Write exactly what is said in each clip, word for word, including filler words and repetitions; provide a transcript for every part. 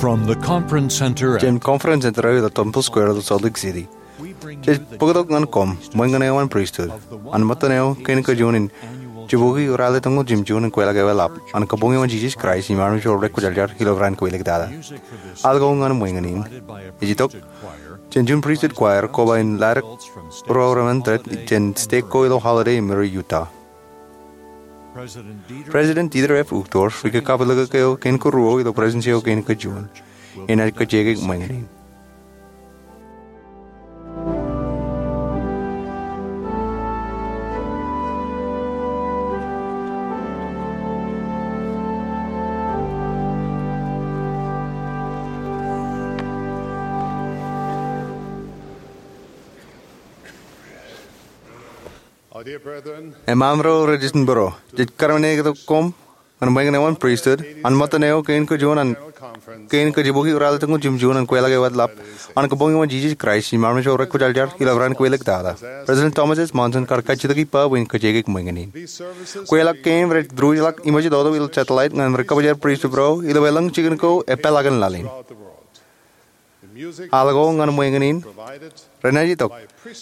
From the conference center at Jān Conference Center eo ilo Temple Square ilo Salt Lake City, jej bōktok ñan koṃ ṃōñā eo an pristut an ṃōttan eo kein kajuon in jibukwi ralitōñoul jimjuon in kweilọk eo eḷap an Kabuñ eo an Jisōs Kraist im Armej ro Rekwōjarjar ilo Raan ko Āliktata. Al ko ñan ṃōñā in ej itok jān juon pristut choir koba in laddik ro remendet jān stek ko ilo Holladay im Murray, Utah. President Dieter F. Uchtdorf, ri-kakapelikōk eo kein karuo ilo Presidensi eo kein kajuon, enaaj kajjioñ ṃōñā in. Eṃṃan ro rej jitōnbōro, jej kōrā in eoktak koṃ ñan ṃōñā eo an pristut an ṃōttan eo kein kajuon an kein kajibukwi ralitōñoul jimjuon in kweilọk eo eḷap an Kabuñ eo an Jisōs Kraist im Armej ro Rekwōjarjar ilo Raan ko Āliktata. President Thomas S. Monson kar kajjitōk ippa bwe en kajjioñ ṃōñā in. Kweilọk kein rej diwōjḷọk iṃōj ilo satellite ñan ri-kōjparok pristut ro ilo elōñ jikin ko epeḷaakin laḷ in. Al ko ñan ṃōñā in renaaj itok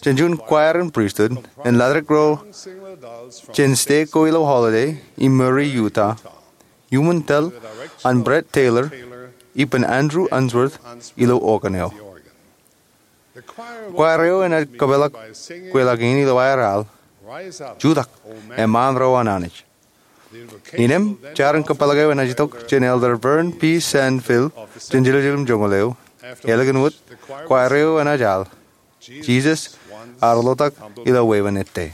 jān juon choir in pristut en laddik ro jān stek ko ilo Holladay im Murray, Utah, iuṃwin tōl an Brett Taylor ippān Andrew Unsworth ilo organ eo. Choir eo enaaj kōpeḷḷọk kweilọk in ilo aer al, Jutak, Eṃṃaan ro an Anij. Innām, jar in kōpeḷḷọk eo enaaj itok jān Elder Vern P. Sanfield jān Jerusalem joñoul eo. Ālikin wōt, choir eo enaaj al, Jisōs ear ḷotak ilo wāween ettā.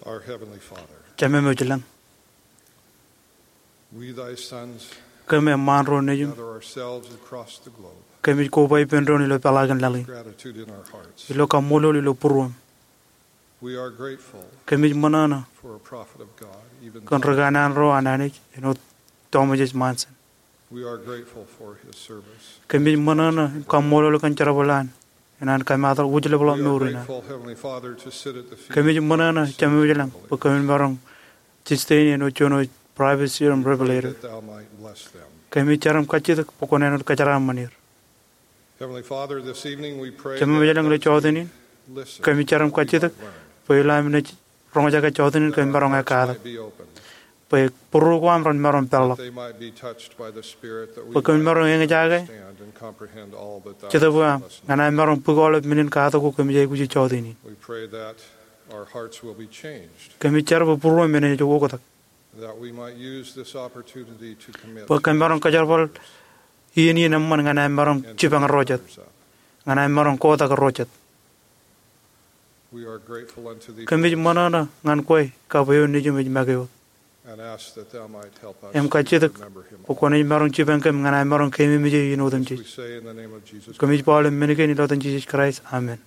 Our Heavenly Father, Jemem eo ilañ, we, thy sons, kōm eṃṃaan ro nejiṃ, gather ourselves across the globe, kōmij koba ippān doon ilo peḷaakin laḷ in, gratitude in our hearts, ilo kaṃṃoolol ilo būruōm. We are grateful, kōmij ṃōṇōṇō, for a prophet of God, even kōn ri kanaan ro an Anij, āinwōt Thomas S. Monson. We are grateful for his service. Kōmij ṃōṇōṇō im kaṃṃoolol kōn jerbal eo an, enaaj kōmaat wōjlepḷọk mour in an. We are grateful, Heavenly Father, to sit at the feet of Kōmij ṃōṇōṇō, Jemem ilañ, bwe kōmin maroñ jistein āinwōt juon eo Prophet Seer im Revelator. That thou might bless them. Kōmij jar im kajjitōk bwe kwōn āinwōt kōjeraaṃṃan er. Heavenly Father, this evening we pray Jemem ilañ, ilo jota in, listen, kōmij jar im kajjitōk bwe ilo am naaj roñjake jota in kōmij maroñ ekkatak, bwe būruō ko am ren maroñ peḷḷọk, bwe kōmij maroñ eñjake jetōb eo aṃ ñan aṃ maroñ bōk aolep men in katak ko kōmij aikuj jota in. Kōmij jar bwe būruōm enaaj oktak. That we might use this opportunity to commit bwe kōm maroñ kajerbal iien in eṃṃan ñan aṃ maroñ jipañ ro jet, ñan aṃ maroñ kotak ro jet. We are grateful unto thee for this. Kōmij ṃōṇōṇō ñan kwe kab eo nejiṃ ej make wōt. And ask that thou might help us to remember him. Im kajjitōk bwe kwōnaaj maroñ jipañ kōm ñan aṃ maroñ keememej eō in otemjej. This we say in the name of Jesus Christ. Kōmij ba ilo men kein ilo etan Jisōs Kraist. Amen.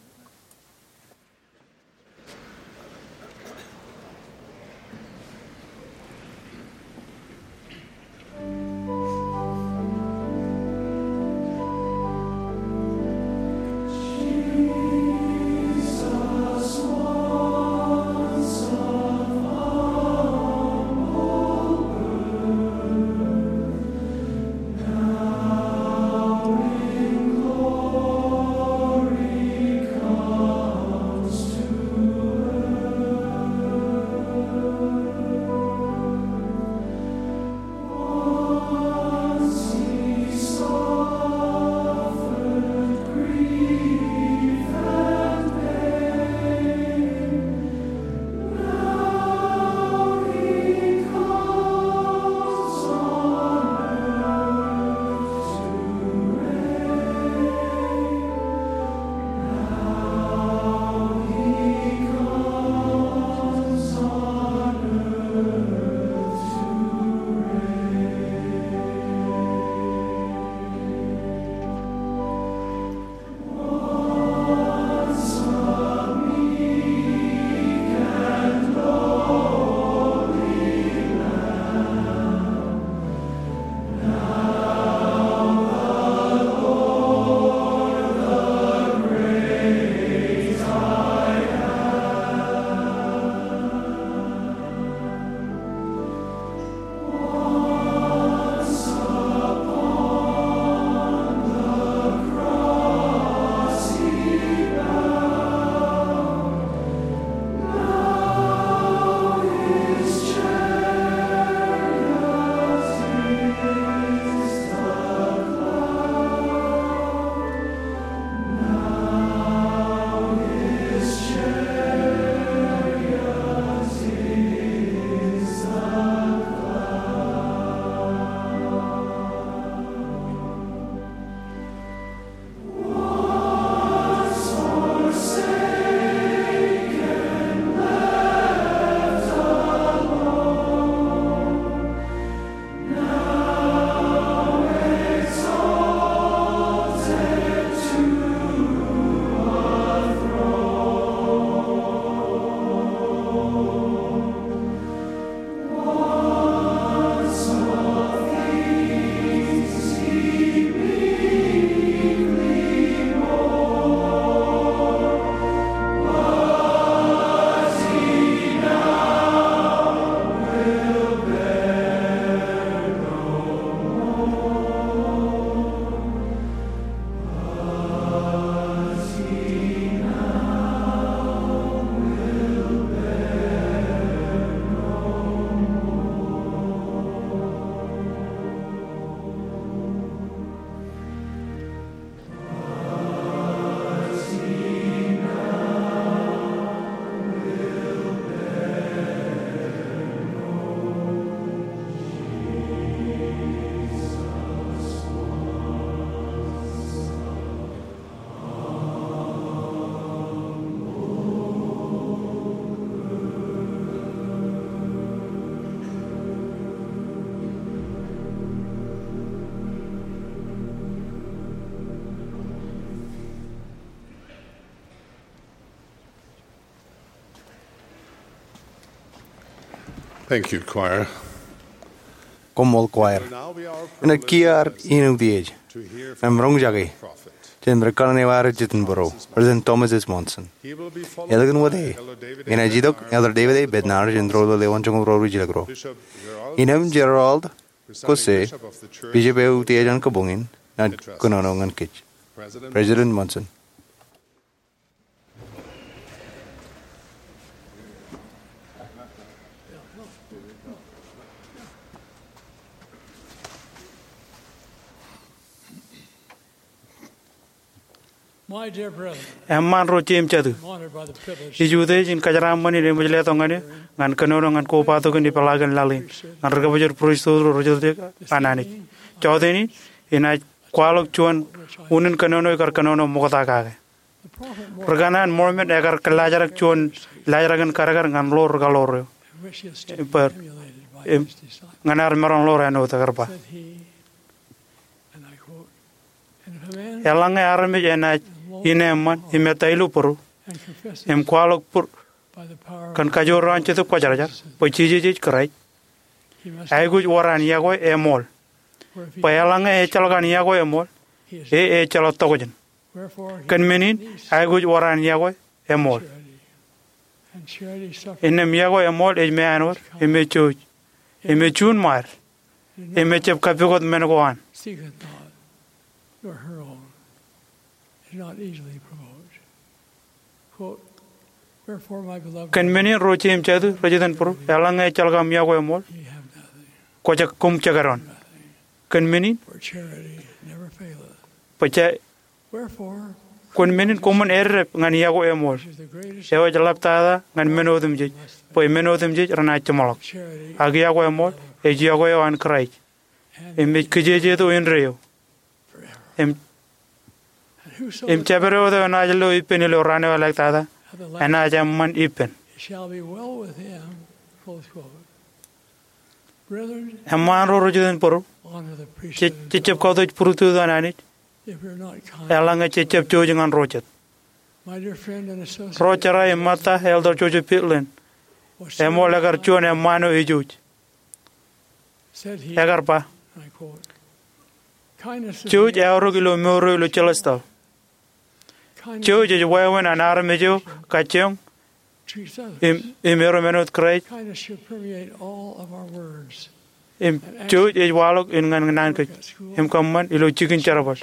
Thank you, choir. Koṃṃool, choir. Inaaj kiiō ad iien utiej im roñjake jān ri kanaan eo ad ej jitōnbōro, President Thomas S. Monson. Eḷap in wōt e, inaaj itok Elder David A. Bednar jān ro ilo lewōn joñoul ro rijilōk ro. Innem Gerald Caussé, Bishop eo utiej an kabuñ in, enaaj kōnono ñan kōj. President Monson. Eṃṃaan ro jeiū im jatū, ij utiej in kōjeraaṃṃan in eṃōj letok ñan eok ñan kōnono ñan kobatok in ipeḷaakin laḷ in ñan ri-kōbōjor pristut ro rej jatū an Anij. Jọteen in, inaaj kwaḷọk juon unin kōnono ikar kōnono ṃokta kake. Ri-kanaan Mormon ekar kōllaajrak juon laajrak in kadkad ñan ḷoor rikaḷoor eo, ñan ad maroñ ḷoor āinwōt ekar ba, eḷaññe armej enaaj ineeṃṃan im ettā ilo būru im kwaḷọk būr kōn kajoor eo an Jetōb Kwōjarjar bwe Jisōs ej Kraist, aikuj wōr an yokwe eṃool. Bwe eḷaññe ejjeḷọk an yokwe eṃool, e ejjeḷọk tokjān. Kōn men in, aikuj wōr an yokwe eṃool. Innām yokwe eṃool ej meanwōd im ej jouj im ej juunṃaad im ejjab kappukot men ko an. Kōn men in, ro jeiū im jatū rej itōn būru, eḷaññe ejjeḷọk aṃ yokwe eṃool, kwōj koṃ jekdọọn. Kōn men in, bwe ja, kōn men in koṃwin eddep ñan yokwe eṃool, eo ej ḷaptata ñan men otemjej, bwe men otemjej renaaj jeṃḷọk. Ak yokwe eṃool ej yokwe eo an Kraist im ej kijejeto indeeo. Im, im jabdewōt eo enaaj lo ippān ilo raan eo elaktata enaaj eṃṃan ippān. Eṃṃaan ro rej itōn būru, je, jejjab kautiej pristut an Anij eḷaññe jejjab jouj ñan ro jet. Ro jera im ṃōtta, Elder Joseph Fielding, eṃool ekar juon eṃṃaan eo ejouj. Ekar ba, jouj eaorōk ilo mour eo ilo jelōstọl. Jouj ej wāween an armej eo kajjioñ im, im erom āinwōt Kraist. Im jouj ej waḷọk in ñan naan kōj im kōṃṃan ilo jikin jerbal,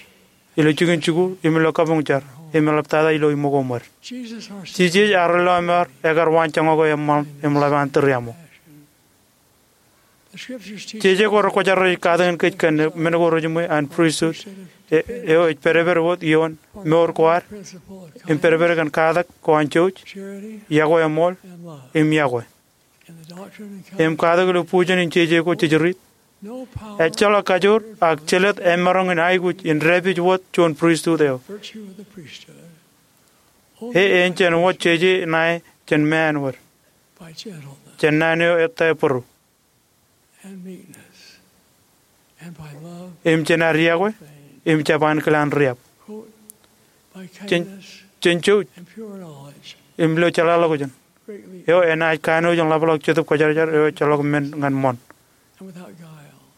ilo jikin jikuuḷ im ilo kabuñ jar, im eḷaptata ilo iṃōko ṃwed. Jisōs ad lọmọọr ekar waanjoñak eo eṃṃan im ḷap an tūriaṃo. Jeje ko rekwōjarjar ej katakin kōj kōn men ko rejiṃwe an pristut eo ej pedped wōt ioon mour ko ad im pedped kōn katak ko an jouj, yokwe eṃool, im yokwe. Im katak ilo bujen in jeje ko jej riit, ejjeḷọk kajoor ak jelōt emaroñ in aikuj in dāpij wōt juon pristut eo. E, en jān wōt jeje ṇae jān meanwōd, jān naan eo ettā būru, im jān ad yokwe im jab ankilaan riab, jān, jān jouj im ilo jeḷāḷọkjeṇ, eo enaaj kanooj in ḷapḷọk Jetōb Kwōjarjar eo ejjeḷọk men ñan ṃoṇ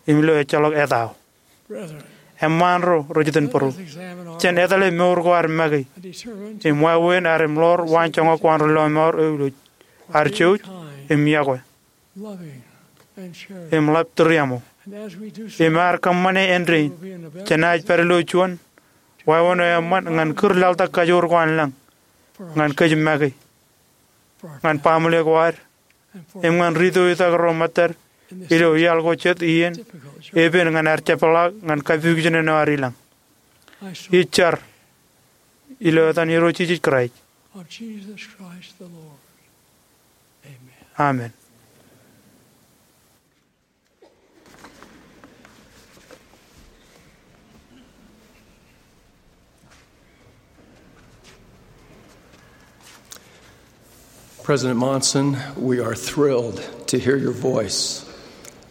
im ilo ejjeḷọk etao. Eṃṃaan ro rej itōn būru, jen etale mour ko ad make im wāween ad im ḷoor waanjoñak ko an ri lọmọọr eo ilo ad jouj im yokwe im ḷap tūriaṃo. Im ad kōṃṃane āindein, jenaaj pād ilo juon wāween eo eṃṃan ñan kūr laḷtak kajoor ko an lañ ñan kōj make, ñan baaṃle ko ad, im ñan rūtto itak ro ṃōttad ilo iaḷ ko jet iien epen ñan ad jepḷaak ñan kapikijen eo ad ilañ. Ij jar ilo etan Irooj Jisōs Kraist. Amen. President Monson, we are thrilled to hear your voice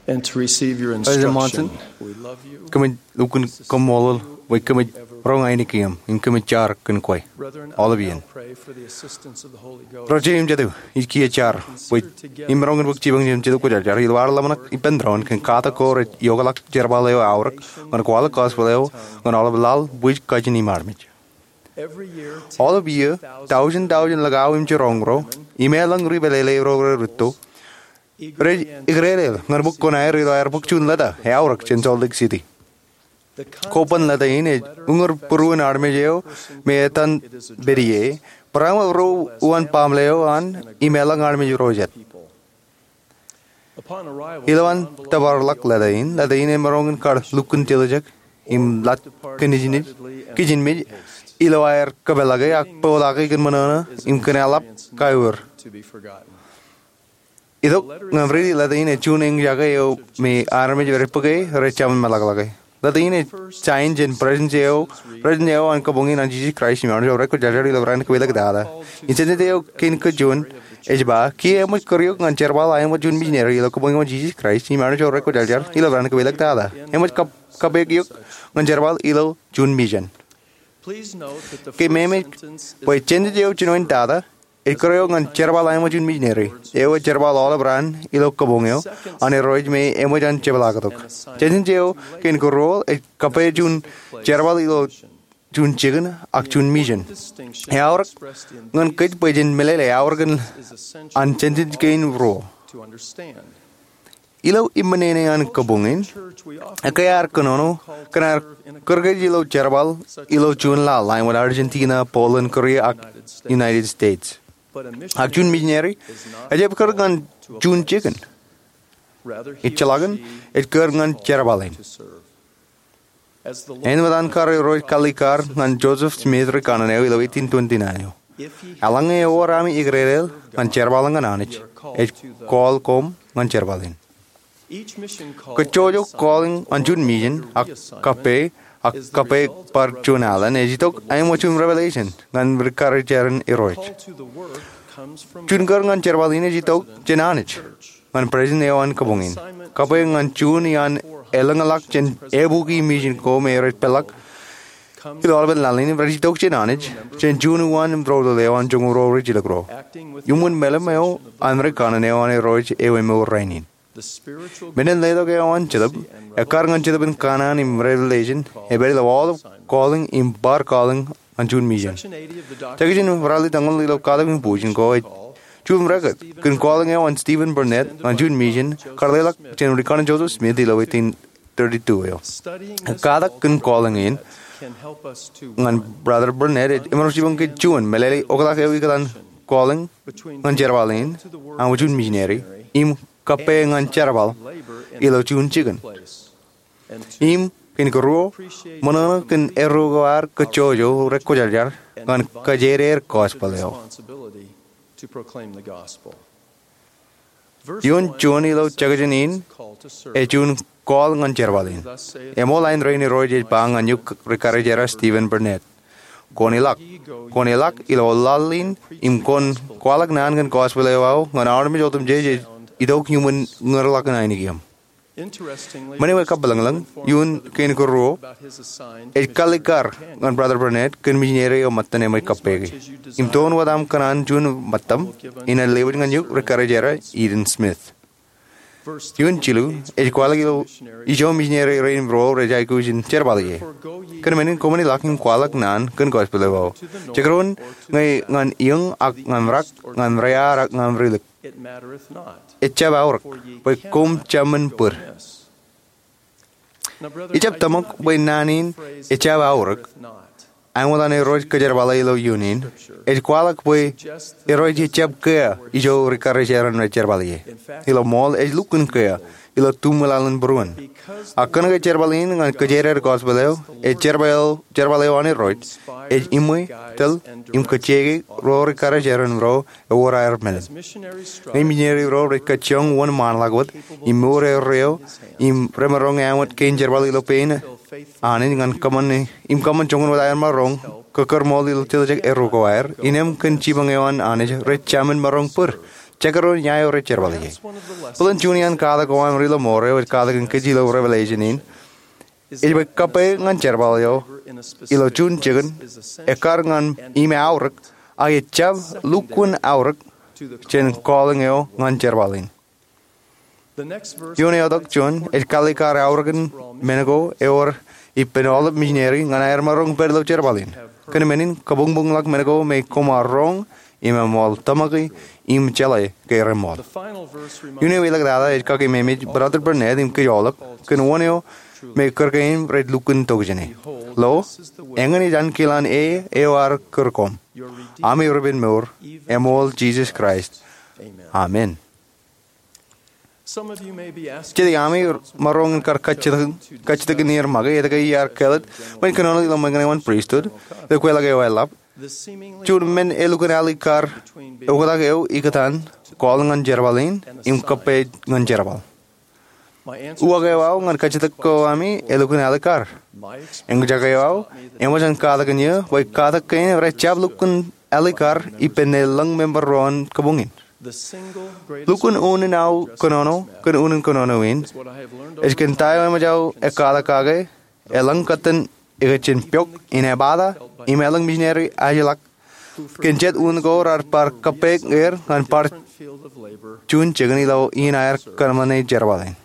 and to receive your President instruction. Monson, we love you. Kōmij lukkuun kaṃṃoolol bwe kōmij roñ ainikien im kōmij jar kōn kwe, all of you. Ro jeiū im jatū, ij kiiō jar bwe imaroñ in bōk jipañ jān Jetōb Kwōjarjar ilo ad ḷōmṇak ippān doon kōn katak ko rej iokḷọk jerbal eo aorōk ñan kwaḷọk gospel eo ñan aolep laḷ, bwij, kajin im armej. All of you, tọujin tọujin likao im jiroñ ro im eḷaññe ri-pālele ro rej rūtto, rej ikdeḷḷe ñan bōk kuṇaer ilo aer bōk juon leta eaorōk jān Salt Lake City. Koban leta in ej uñūr būruon armej eo me etan pād ie, barāinwōt ruo uwaan baaṃle eo an im eḷaññe armej ro jet. Ilowaan tōparḷọk leta in, leta in emaroñ in kar lukkuun tiljek im ḷak kijinmej, kijinmej ilo aer kōpeḷḷọke ak bōkḷọke kōn ṃōṇōṇō im kōn eḷap kaiur. Itok ñan riiti lōta in ej juon eñjake eo me armej rej bōke rej jaṃin meḷọkḷọke. Lōta in ej sain jān Presiden eo, Presiden eo an Kabuñ in an Jesus Christ im Armej eo Rekwōjarjar ilo raan kab elōñ tata. Im sentence eo kein kōj juon ej ba, kiiō eṃōj kūr eok ñan jerbal aemọj juon misineri ilo Kabuñ eo an Jesus Christ im Armej eo Rekwōjarjar ilo raan kab elōñ tata. Eṃōj kab- kappok eok ñan jerbal ilo juon mission. Keememej bwe sentence eo jinoin tata ej kūr eok ñan jerbal aemọj juon misineri. Eo ej jerbal aolep raan ilo kabuñ eo an Irooj me eṃōj an jepḷaaktok. Sentence eo kein kōruo ej kappok juon jerbal ilo juon jikin ak juon mission. Eaorōk ñan kōj bwe jen meḷeḷe eaorōk in an sentence kein ruo. Ilo iṃōṇōṇō an kabuñ in, ekkā ear kōnono kōn aer kūr kōj ilo jerbal ilo juon laḷ ḷain wōt Argentina, Poland, Korea ak United States. Ak juon misineri ejjab kūr ñan juon jikin. Ejjeḷọkin ej kūr ñan jerbal in. Āinwōt an kar Irooj kalikkar ñan Joseph Smith ri kanaan eo ilo eighteen twenty-nine eo, eḷaññe ewōr ami eklejel ñan jerbal ñan Anij, ej call koṃ ñan jerbal in. Kōjjojo calling an juon mission ak kappok ak kappok bar juon alen ej itok aemọj juon revelation ñan rikkarijeran Irooj. Juon kūr ñan jerbal in ej itok jān Anij ñan Presiden eo an kabuñ in. Kappok ñan juon iaan elōñḷọk jān ebuki mission ko me rej peḷḷọk ilo aolepān laḷ in rej itok jān Anij jān juon uwaan im doulul eo an joñoul ruo rijilōk ruo. Iuṃwin meḷeḷe eo an ri kanaan eo an Irooj eo emour rainin. Men in letok eo an Jetōb, ekkar ñan Jetōb in kanaan im revelation, ej pād ilo aolep calling im bar calling an juon mission. Section ralitōñoul ilo Katak im Bujen ko ej juon record kōn calling eo an Stephen Burnett ñan juon mission kar leḷọk jān ri kanaan Joseph Smith ilo eighteen thirty-two eo. Katak kōn calling in ñan Brother Burnett ej iṃōṇō jipañ kōj juon meḷeḷe oktak eo ikōtaan calling ñan jerbal in aemọj juon misineri im kappok ñan jerbal ilo juon jikin. Im kein kōruo, ṃōṇōṇō kōn erro ko ad kōjjojo rekwōjarjar ñan kōjeider gospel eo. Ioon juon ilo section in ej juon call ñan jerbal in. Eṃool āindein Irooj ej ba ñan eok rikkarijer Stephen Burnett, kwōn ilọk, kwōn ilọk ilo laḷ in im kwōn kwaḷọk naan kōn gospel eo aō ñan armej otemjej ej itok iuṃwin ñūrḷọk in ainikien. Men eo ej kappḷōñḷōñ, ioon kein kōruo ej kalikkar ñan Brother Burnett kōn misineri eo ṃōttan eṃōj kappok e. Im toon wōt aṃ kōṇaan juon ṃōttaṃ, inaaj lewōj ñan eok rikkarijer Eden Smith. Ioon jilu ej kwaḷọk ilo ijo misineri rein ruo rej aikuj in jerbal ie. Kōn men in koṃwin ilọk im kwaḷọk naan kōn gospel eo aō. Jekdọọn ñe ñan iōñ ak ñan rak, ñan rear ak ñan rilik, ejjab aorōk, bwe koṃ jaṃṃan bōd. Ijab tōmak bwe naan in ejjab aorōk āinwōt an Irooj kōjerbale ilo iioon in, ej kwaḷọk bwe Irooj ejjab kea ijo rikkarijeran rej jerbal ie. Ilo ṃool ej lukkuun kea ilo tuṃ ilaḷ in būruon. Ak kōnke jerbal in ñan kōjeider gospel eo ej jerbal, jerbal eo an Irooj, ej iṃwe, tōl, im kōjjeiki ro rikkarijeran ro ewōr aer men. Ñe misineri ro rej kajjioñ wōnṃaanḷọk wōt im mour erreo im remaroñ āinwōt kein jerbal ilo pein Anij ñan kōṃṃan, im kōṃṃan joñan wōt aer maroñ kōkōrṃool ilo tiljek erro ko aer, innām kōn jipañ eo an Anij rej jaṃin maroñ bōd, jekdọọn ia eo rej jerbal ie. Bōlen juon iaan katak ko aṃ ri lọmọọr eo ej katakin kōj ilo Revelation in ej bwe kappok ñan jerbal eo ilo juon jikin ekkar ñan im aorōk, ak ejjab lukkuun aorōk jān calling eo ñan jerbal in. Ioon eotak juon ej kalikkar aorōkin men ko ewōr ippān aolep misineri ñan aer maroñ pād ilo jerbal in. Kōn men in kabuñbuñḷọk men ko me koṃ ar roñ im eṃool tōmaki im jeḷā ke reṃool. Iuun eo elōñ tata ej kakeememej Brother Burnett im kōj aolep kōn wōn eo me kūr kein rej lukkuun tok jāne. Lo, eñin ej ankilaan e eo ear kūr koṃ, ami ri-penmour, eṃool Jisōs Kraist. Amen. Jet iaami maroñ in kar kajjitōk, kajjitōkin er make etke iar kāālōt bwe in kōnono ilo ṃōñā eo an pristut, ilo kweḷọk eo eḷap. Juon men elukkuun alikkar oktak eo ikōtaan calling ñan jerbal in im kōppej ñan jerbal. Uwaak eo aō ñan kajjitōk ko ami elukkuun alikkar. Eñjake eo aō eṃōj an katakin eō bwe katakin rej jab lukkuun alikkar ippān ḷōñ member ro an kabuñ in. Lukkuun unin aō kōnono kōn unin kōnono in ej kōn ta eo eṃōj aō ekkatak kake eḷaññe kōttan ikijjien pok in ebata im elōñ misineri ajlak kōn jet unin ko raar bar kōppej er ñan bar juon jikin ilo iien aer kōṃṃane jerbal in.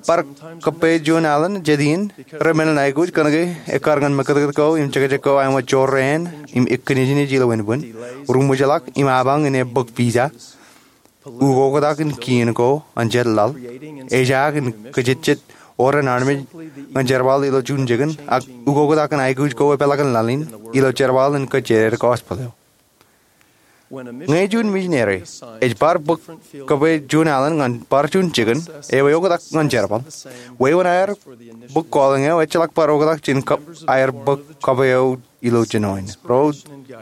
Bar kōppej juon alen jet iien remenḷọk aikuj kōnke ekkar ñan mekkatkat ko im jekjek ko aṃ wōt jorrāān im ikijjien ilo wūnbwin, ruṃwijḷọk im apañ in ebōk visa, ukoktak in kien ko an jet laḷ, ejaak in kōjejjet orren armej ñan jerbal ilo juon jikin, ak ukoktak in aikuj ko epeḷḷọk in laḷ in ilo jerbal in kōjjeer gospel eo. Ñe juon misineri ej bar bōk kōppej juon alen ñan bar juon jikin eo eoktak ñan jerbal, wāween aer bōk calling eo ejjeḷọk bar oktak jān aer bōk kōppej eo ilo jinoin. Ro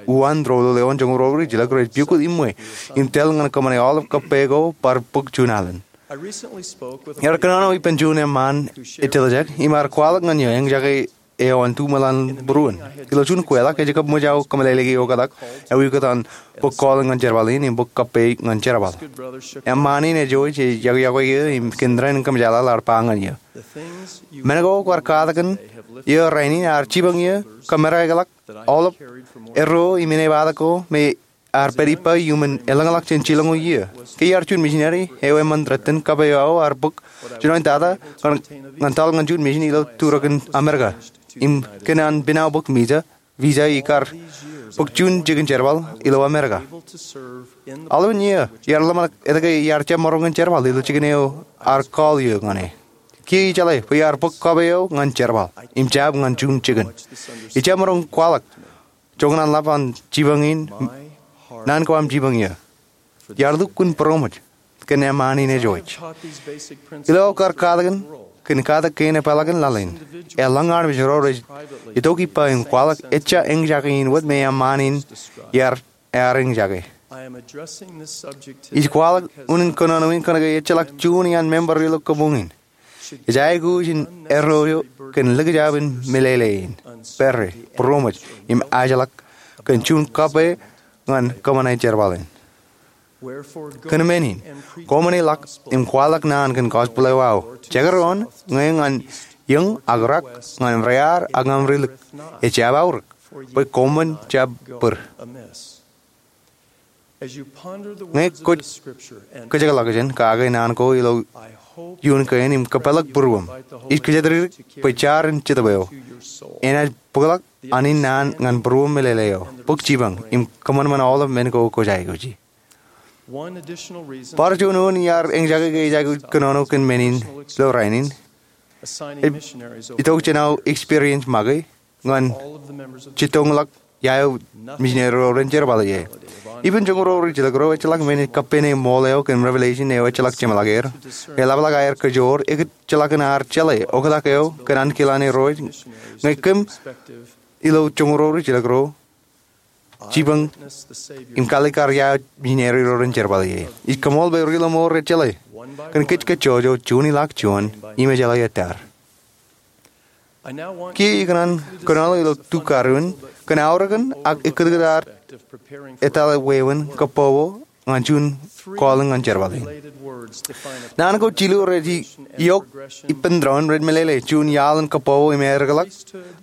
uwaan doulul eo an joñoul ro rijjilōk rej piukūt iṃwe im tōl ñan kōṃṃane aolep kōppej ko bar bōk juon alen. Iar kōnono ippān juon eṃṃaan ejjeḷọk im ear kwaḷọk ñan eō eñjake eo an tuṃwōḷ an būruon. Ilo juon kweḷọk ej kab ṃōj aō kōmeḷeḷeiki oktak eo ikōtaan bōk calling ñan jerbal in im bōk kōppej ñan jerbal. Eṃṃaan in ej eo ej yokwe eō im kōn ren kōmjeḷāḷ ear ba ñan eō, men ko kwaar katakin eō rainin ear jipañ eō kōmeḷeḷeikḷọk aolep erro im inepata ko me ear pād ippa iuṃwin elōñḷọk jān jilñuul iiō. Ke iar juon misineri eo eṃṃan rot in kōppej eo aō ear bōk jinoin tata ñan tōl ñan juon misin ilo turōkin Amerika im kōn an piṇaō bōk visa, visa ikar bōk juon jikin jerbal ilo Amerika. Aolepān iiō iar ḷōmṇak etke iar jab maroñ in jerbal ilo jikin eo ear call eō ñan e. Kiiō ijeḷā bwe iar bōk kōppej eo ñan jerbal im jab ñan juon jikin. Ij jab maroñ kwaḷọk joñan an ḷap an jipañ in, naan ko aṃ jipañ eō. Iar lukkuun būroṃōj kōn eṃṃaan in ej eo ej. Ilo aō kar katakin kōn katak kein epeḷḷọk in laḷ in, eḷaññe armej ro rej itok ippa im kwaḷọk ejja eñjake in wōt me eṃṃaan in iar ear eñjake. Ij kwaḷọk unin kōnono in kōnke ejjeḷọk juon iaan member ilo kabuñ in ej aikuj in erro kōn likjab in meḷeḷe in, pere, būroṃōj, im ajḷọk kōn juon kōppej ñan kōṃṃane jerbal in. Kōn men in, koṃṃool ḷọk im kwaḷọk naan kōn gospel eo aō. Jekdọọn ñe ñan iōñ ak rak, ñan rear ak ñan rilōk, ejjab aorōk bwe koṃṃool jab bōd. Ñe kwōj kōjekḷọkjeṇ kake naan ko ilo iuṃwin kein im kōpeḷḷọk būruōṃ, ij kōjatdikdik bwe jaar in Jetōb eo enaaj bōkḷọk anin naan ñan būruōṃ meḷeḷe eo, bōk jipañ, im kōṃanṃan aolep men ko kwōj aikuji. Bar juon wōt iar eñjake ke ij aikuj kōnono kōn men in ilo rainin, ej itok jān aō experience make ñan jittoñḷọk ia eo misineri ro ren jerbal ie. Ippān joñoul ro rijjilōk ro ejjeḷọk men in kappāne ṃool eo kōn revelation eo ejjeḷọk jeṃḷọk er. Eḷapḷọk aer kōjoor, ekōjḷọk in ar jeḷā oktak eo kōn ankilaan ro ej ñe kōm ilo joñoul ro rijjilōk ro jipañ im kalikkar ia eo misineri ro ren jerbal ie. Ij kaṃool bwe ri ḷōṃaro rej jeḷā kōn kōj kajjojo juon iḷak juon im ejeḷā ettā. Kiiō ikōṇaan kōnono ilo tukkaruon kōn aorōkin ak ekkōtkōt ad etal wāween kōbbobo ñan juon calling ñan jerbal in. Naan ko jilu rej iok ippān doon rej meḷeḷe juon iaḷ in kōbbobo im eddekḷọk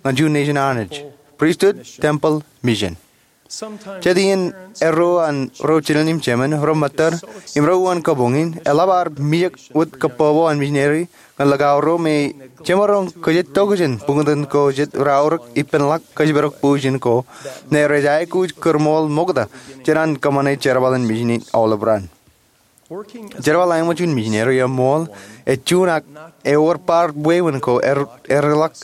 ñan juon nation Anij, pristut, temple, mission. Jet iien erro an ro jinen im jemān, ro ṃōttad, im ro uwaan kabuñ in eḷap ar mijak wōt kōbbobo an misineri ñan likao ro me jemaroñ kōjatdikdik jān buñtōn ko jet raorōk ippānḷọk kōjparok bujen ko, ñe rej aikuj kōrmool ṃokta jān an kōṃṃane jerbal in mission in aolep raan. Jerbal eo ṃōk juon misineri eṃṃool ej juon ak ewōr bar wāween ko eddekḷọk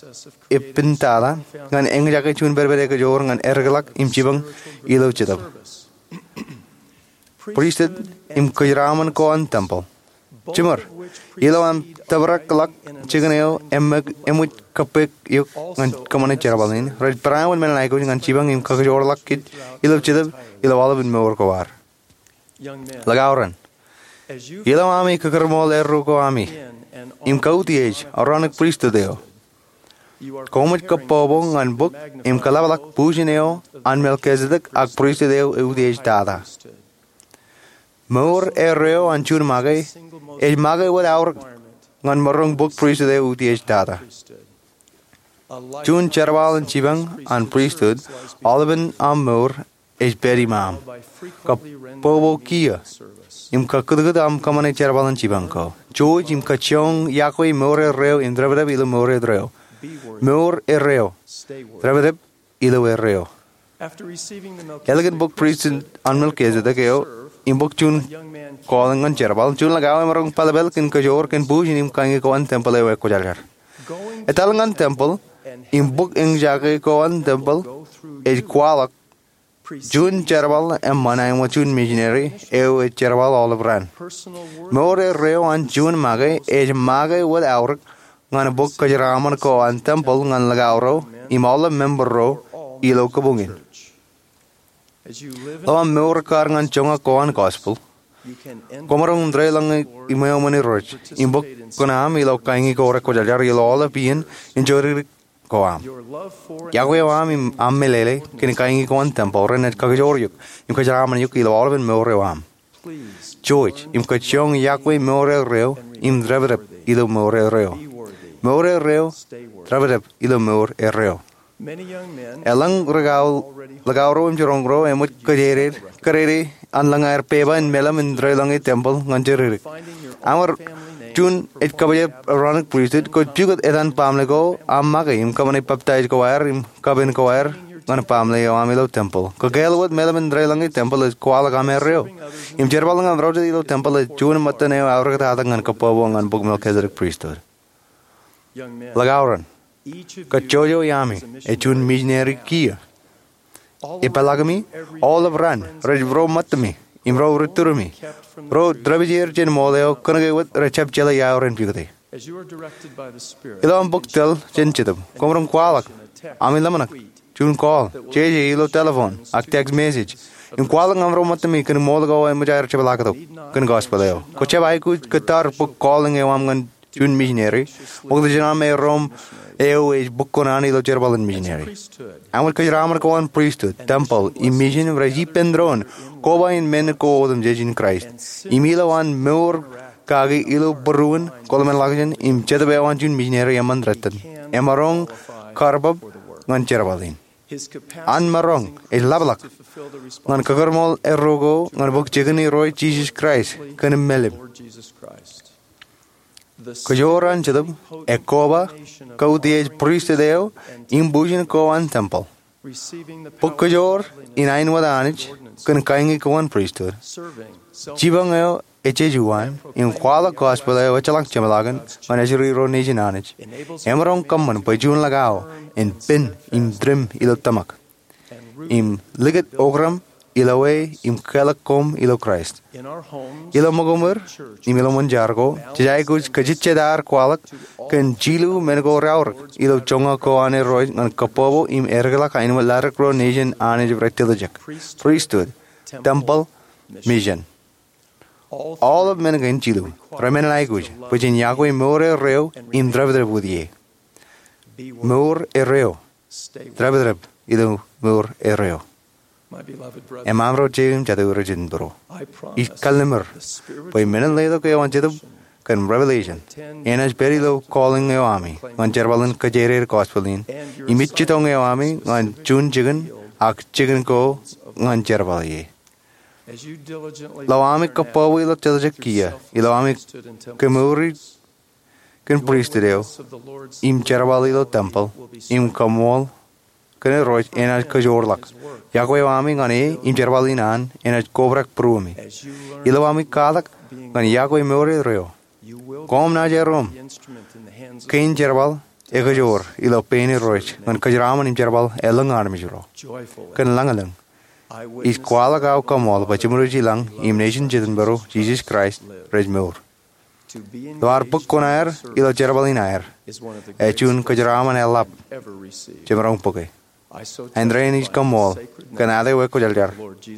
ippān tata ñan eñjake juon pedped ekajoor ñan eddekḷọk im jipañ ilo Jetōb, pristut, im kōjeraṃṃan ko an temple. Jiṃor, ilo aṃ tōprakḷọk jikin eo eṃōj kōppek eok ñan kōṃṃane jerbal in, rej peran wōt men in aikuj ñan jipañ im kakijoorḷọk kōj ilo jetōb ilo aolepān mour ko ad. Likao ren, ilo ami kakūrmool erro ko ami im kautiej Aronik pristut eo, koṃij kōpopo ñan bōk im kōḷapḷọk bujen eo an Melkisedek ak pristut eo eutiej tata. Mour erreo an juon make ej make wōt aorōk ñan maroñ bōk pristut eo eutiej tata. Juon jerbal in jipañ an pristut aolepān aṃ mour ej pād iṃaaṃ. Kōpopo kiiō im kakūtkūt aṃ kōṃṃane jerbal in jipañ ko. Jouj im kajjioñ iọkwe mour erreo im dāpdep ilo mour erreo. Mour erreo. Dāpdep ilo erreo. Ālikin bōk pristut an Melkisedek eo im bōk juon calling ñan jerbal, juon likao emaroñ pālpāl kōn kajoor kōn bujen im kañi ko an tempel eo ekwōjarjar. Etal ñan tempel im bōk eñjake ko an tempel ej kwaḷọk juon jerbal eṃṃan āinwōt juon misineri eo ej jerbal aolep raan. Mour erreo an juon make ej make wōt aorōk ñan bōk kōjeraaṃṃan ko an tempel ñan likao ro im aolep member ro ilo kabuñ in. Ilo aṃ mour ekkar ñan joñak ko an gospel, kwōmaroñ deḷọñe iṃweo iṃōn Irooj im bōk kuṇaṃ ilo kañi ko rekwōjarjar ilo aolep iien in joridik ko aṃ. Iọkwe eo aṃ im aṃ meḷeḷe kōn kañi ko an tempel renaaj kakijoor eok im kōjeraaṃṃan eok ilo aolepān mour eo aṃ. Jouj im kajjioñ iọkwe mour erreo im dāpdep ilo mour erreo. Mour erreo, dāpdep ilo mour erreo. Elōñ likao ro im jiroñ ro eṃōj kōjeider kōdede an lōñ aer pepa in meḷeḷe im deḷọñe tempel ñan joridik. Aṃ ar juon ej kabōjep Aronik pristut, kwōj pukot etan baaṃle ko aṃ make im kōṃṃane baptaij ko aer im kapen ko aer ñan baaṃle eo aṃ ilo tempel. Kwō kāāl wōt meḷeḷe im deḷọñe tempel ej kwaḷọk aṃ erreo. Im jerbal ñan ro jet ilo tempel ej juon ṃōttan eo aorōktata ñan kōpopo ñan bōk Melkisedek pristut. Likao ren, kōjjojo iaami ej juon misineri kiiō. Epeḷḷọkimi aolep raan rej ro ṃōttami im ro ri turimi, ro dāpij er jān ṃool eo kōnke wōt rejjab jeḷā ia ren pukot e. Ilo aṃ bōk tōl jān Jetōb, kwōmaroñ kwaḷọk ami ḷōmṇak, juon call, jeje ilo telephone ak text message im kwaḷọk aṃ ro ṃōttami kōn ṃool ko eṃōj aer jepḷaaktok kōn gospel eo. Kwō jab aikuj kōttar bōk calling eo aṃ ñan juon misineri, ṃokta jān aṃ erro eo ej bōk kuṇaan ilo jerbal in misineri. Āinwōt kōjeraaṃṃan ko an pristut, tempel im misin rej ippān doon koba in men ko otemjej in Kraist. Im ilo an mour kaki ilo būruon, kōḷmānḷọkjeṇ im jetōb eo an juon misineri eṃṃan rot in, emaroñ karbab ñan jerbal in. An maroñ ej ḷapḷọk ñan kakūrmool erro ko ñan bōk jikin Irooj Jisōs Kraist kōn im meḷeḷe. Kōjoor an Jetōb, ekkoba, kautiej pristut eo im bujen ko an tempel. Bōk kōjoor in aenwōt Anij kōn kañi ko an pristut. Jipañ eo ejjejuon im kwaḷọk gospel eo ejjeḷọk jemḷọkin ñan ājiri ro nejin Anij emaroñ kōṃṃan bwe juon likao en pen im tūrim ilo tōmak im likūt okram ilo e im kālọk koṃ ilo Kraist. Ilo ṃōkōṃwōr im ilo ṃōn jar ko, jej aikuj kajejjet ad kwaḷọk kōn jilu men ko reaorōk ilo joñak ko an Irooj ñan kōpopo im erkakḷọk aenwōt ḷaddik ro nejin Anij rej tiljek, pristut, tempel, misin. Aolep men kein jilu remened aikuj bwe jen iọkwe mour erreo im dāpdep wōt ie. Mour erreo. Dāpdep ilo mour erreo. Eṃṃan ro jeiū im jatū rej jino būruō, ij kallimur bwe men in letok eo an Jetōb kōn revelation enaaj pād ilo calling eo ami ñan jerbal in kōjeider gospel in im ijjitōñ eo ami ñan juon jikin ak jikin ko ñan jerbal ie. Ilo ami kōpopo ilo tiljek kiiō, ilo ami kemour kōn pristut eo im jerbal ilo tempel im kaṃool kōn Irooj enaaj kajoorḷọk. Iọkwe eo ami ñan e im jerbal in an enaaj kobrak būruemi. Ilo ami kwaḷọk ñan iọkwe mour erreo, koṃ naaj erom kein jerbal ekajoor ilo pein Irooj ñan kōjeraaṃṃan im jerbal elōñ armej ro. Kōn lañlōñ, ij kwaḷọk aō kaṃool bwe jiṃor ej ilañ im nejin Jetōnbōro Jisōs Kraist rej mour. Ilo ad bōk kuṇaer ilo jerbal in aer ej juon kōjeraaṃṃan eḷap jemaroñ bōke. Āindein ij kaṃṃool kōn āt eo ekwōjarjar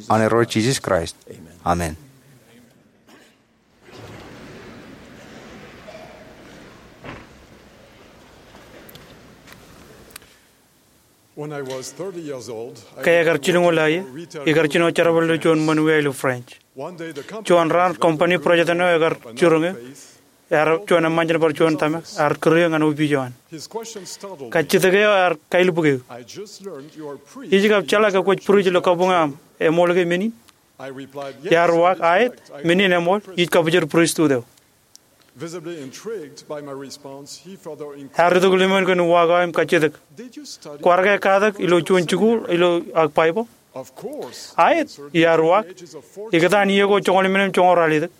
an Irooj Jisōs Kraist. Amen. Ke ekar jilñoul ḷọk ier, ikar jino jerbal ilo juon ṃōn wia ilo France. Juon raan, kōmpani project eo ekar jiroñ eō, ear juon eṃṃan jān bar juon tōmak, ear kūr eō ñan opiij eo an. Kajjitōk eo ear kailubuk eō. Ij kab jeḷā ke kwōj priest ilo kabuñ eo aṃ, eṃool ke men in? Iar uwaak, aet, men in eṃool, ij kabōjor priesthood eo. Ear itok limoin kōn uwaak eo im kajjitōk. Kwaar ke katak ilo juon jikuuḷ ilo ak Baibōḷ? Aet, iar uwaak. Ikōtaan iiō ko joñoul emān im joñoul ralitōk.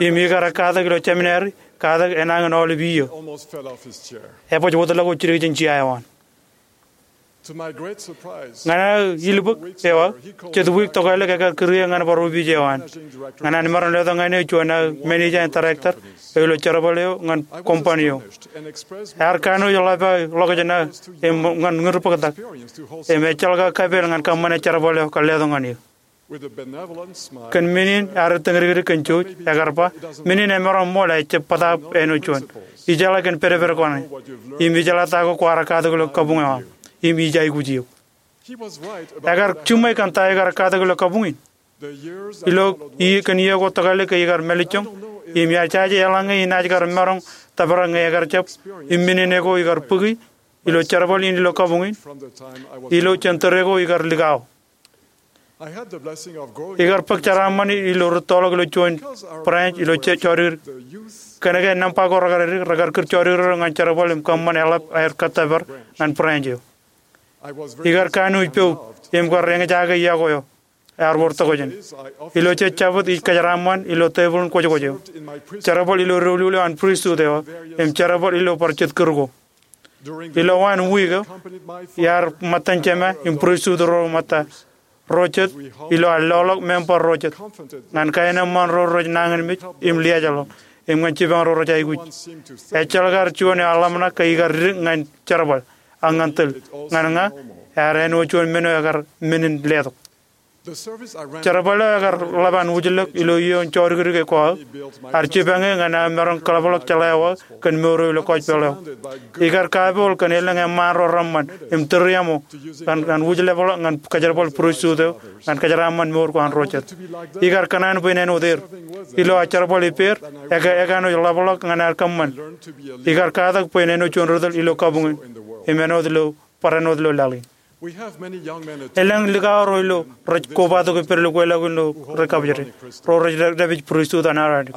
Im ikar katak ilo seminary, katak enañin aolep iiō. Ebōj wōtlọk wōt jidik jān jea eo an. Ñan aō ilubōk eo aō, jet wiik tokālik ekar kūr eō ñan bar opiij eo an. Ñan an maroñ letok ñan eō juon aō manager and director eo ilo jerbal eo ñan kōmpani eo. Ear kanooj ḷap aō ḷọkjeṇ aō im ñan ñūrbōktak. Im ejjeḷọk aō kapeel ñan kōṃṃane jerbal eo kar letok ñan eō. Kōn men in ear ettōñ dik dik kōn jouj, ekar ba, men in emaroñ ṃool, ejjab bōtaab āinwōt juon. Ijeḷā kōn pedped ko ṇe. Im ijeḷā ta ko kwaar katak ilo kabuñ eo aṃ. Im ij aikuj eok. Ekar jiṃwe kōn ta eo ikar katak ilo kabuñ in. Ilo iiō, kōn iiō ko tokālik ke ikar mālejjoñ, im ijaje eḷaññe inaaj kar maroñ tōprak ñe ekar jab, im men in eko ikar bōki ilo jerbal in ilo kabuñ in, ilo jān tōre ko ikar likao. Ikar bōk jeraaṃṃan ilo rūttoḷọk ilo juon branch ilo jodikdik. Kōnke nōṃba ko rekar edik, rekar kūr jodikdik ro ñan jerbal im kōṃṃan eḷap aer kōttōpar ñan branch eo. Ikar kanooj poub im kar eñjake iọkwe eo ear wōr tokjān. Ilo jej jabōt ij kōjeraaṃṃan ilo tebōḷ in kwōjkwōj eo, jerbal ilo doulul eo an priesthood eo, im jerbal ilo bar jet kūr ko. Ilo waan wiik eo, iar ṃōttan jema im priesthood ro ṃōtta, ro jet, ilo aer loḷọk member ro jet, ñan kaenōṃṃan ro rej nañinmej im liaajḷọk, im ñan jipañ ro rej aikuj. Ejjeḷọk ad juon eo eḷap ṇa ke ikar dik ñan jerbal, ak ñan tōl. Ñan ña, ear āinwōt juon men eo ekar men in letok. Jerbal eo ekar ḷap an wūjlōk ilo iiō in jodikdik ko aō, ear jipañ eō ñan aō maroñ kōḷapḷọk jeḷā eo aō kōn mour eo ilo gospel eo. Ikar kapool kōn elōñ eṃṃaan ro reṃṃan im tūriaṃo ñan, ñan wūjlepḷọk ñan kōjerbal priesthood eo ñan kōjeraaṃṃan mour ko an ro jet. Ikar kōṇaan bwe in āinwōt er. Ilo aō jerbal ippāer, ekanooj ḷapḷọk ñan aer kōṃṃan. Ikar katak bwe in āinwōt juon ri tōl ilo kabuñ in im āinwōt ilo, bar āinwōt ilo laḷ in. Elōñ likao ro ilo rej kobatok ippād ilo kweilọk in ilo rej kabōjde, ro rej dāpij priesthood an Aronik.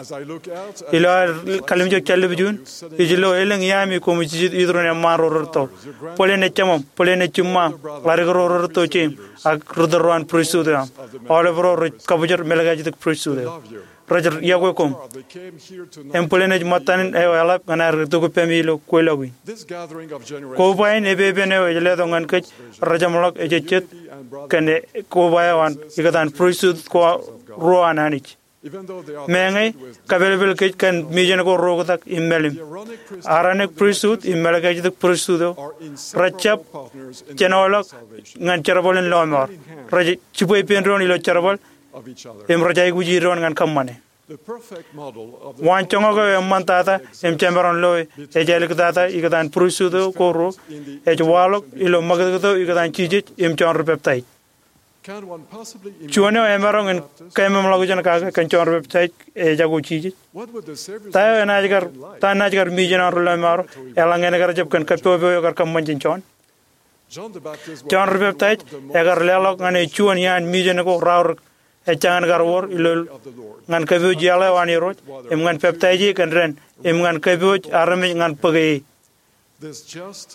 Ilo aō kalimjek jān lōb juon, ij lo elōñ iaami koṃij jijet iturin eṃṃaan ro rūtto. Bōlen ej jemam, bōlen ej jiṃṃaam, ḷadik ro rūtto jeim, ak ri tōl ro an priesthood eo aṃ. Aolep ro rej kabōjde mālōkajtok priesthood eo. Rej iọkwe koṃ. Im bōlen ej ṃōttan eo eḷap ñan aer itok ippemi ilo kweilọk in. Koba in epepen eo ej letok ñan kōj rejeṃḷọk ejejjet kōn koba eo an ikōtaan priesthood ko ruo an Anij. Meñe kapelpel kōj kōn mijen ko ro oktak im mālim, Aronik priesthood im Melchizedek priesthood eo rejjab jenoḷọk ñan jerbal in lọmọọr. Rej jibwe ippān doon ilo jerbal im rej aikuji doon ñan kōṃṃane. Waanjoñak eo eṃṃantata im jemaroñ loe ej āliktata ikōtaan priesthood eo ko ruo ej waḷọk ilo ṃakūtkūt eo ikōtaan Jisōs im Jon Ri Peptaij. Juon eo emaroñ in keememḷọkjeṇ kake kōn Jon Ri Peptaij ejako Jisōs? Ta eo enaaj kar, ta naaj kar mijen aō ri lọmọọr eḷaññe en kar jab kōn kappok eo ekar kōṃṃan jān Jon? Jon Ri Peptaij ekar leḷọk ñan e juon iaan mijen ko raorōk ejjañin kar wōr ilo ñan kapooj iaḷ eo an Irooj im ñan peptaij e kōn dān im ñan kapooj armej ñan bōke e.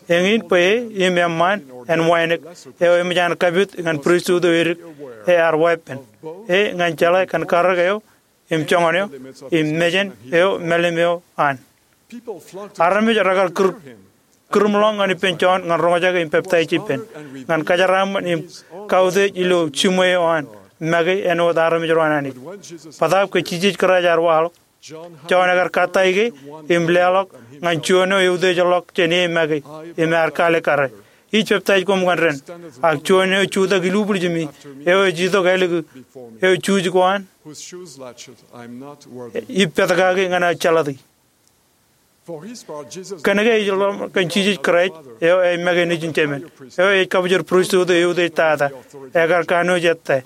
Eñin bwe e im eṃṃaan āinwōt eo eṃōj an kapit ñan priesthood eo edik ear weeppān e ñan jeḷā kōn karōk eo im joñan eo im mejān eo mālim eo an. Armej rekar kūr, kūrmḷọk ñan ippān Jon ñan roñjake im peptaij ippān ñan kajeraaṃṃan im kautiej ilo jiṃwe eo an make āinwōt armej ro an Anij. Bōtaab ke Jisōs Kraist ear waḷọk, Jon ekar kōttāik e im leḷọk ñan juon eo eutiejḷọk jān e make im ear kaalikkare, ij peptaij koṃ ñan dān, ak juon eo jutak ilubwiljimi, eo ej itok ālikin, eo juuj ko an, ij pād kaki ñan aō jeḷāti. Kōnke ij ḷōmṇak kōn Jisōs Kraist, eo ej make nejin Jemān, eo ej kabōjor pristut eo eutiej tata, ekar kanooj ettā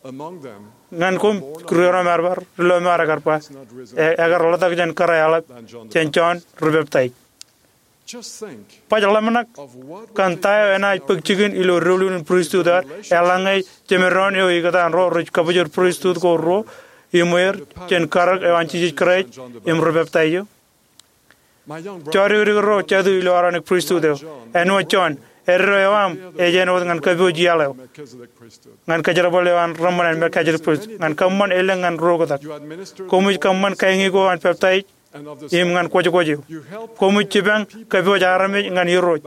ñan koṃ ri-roñmar, ri-lọmọọr, ekar ba, e-, ekar ḷotak jān kōrā eḷap jān Jon ri-peptaij. Baj ḷōmṇak kōn ta eo enaaj bōk jikin ilo doulul in pristut eo ad eḷaññe jemdoon eo ikōtaan ro rej kabōjor pristut ko ruo iṃweer jān karōk eo an Jisōs Kraist im ri-peptaij eo. Jọdikdik ro jatū ilo Aaronic pristut eo, āinwōt Jon, eddo eo aṃ ej āinwōt ñan kōpooj iaḷ eo, ñan kōjerbal eo an rōṃṃan an Melchizedek pristut, ñan kōṃṃan elōñ ñan ro oktak. Koṃij kōṃṃan kāiñi ko an peptaij im ñan kwōjkwōj eo. Koṃij jipañ kōpooj armej ñan Irooj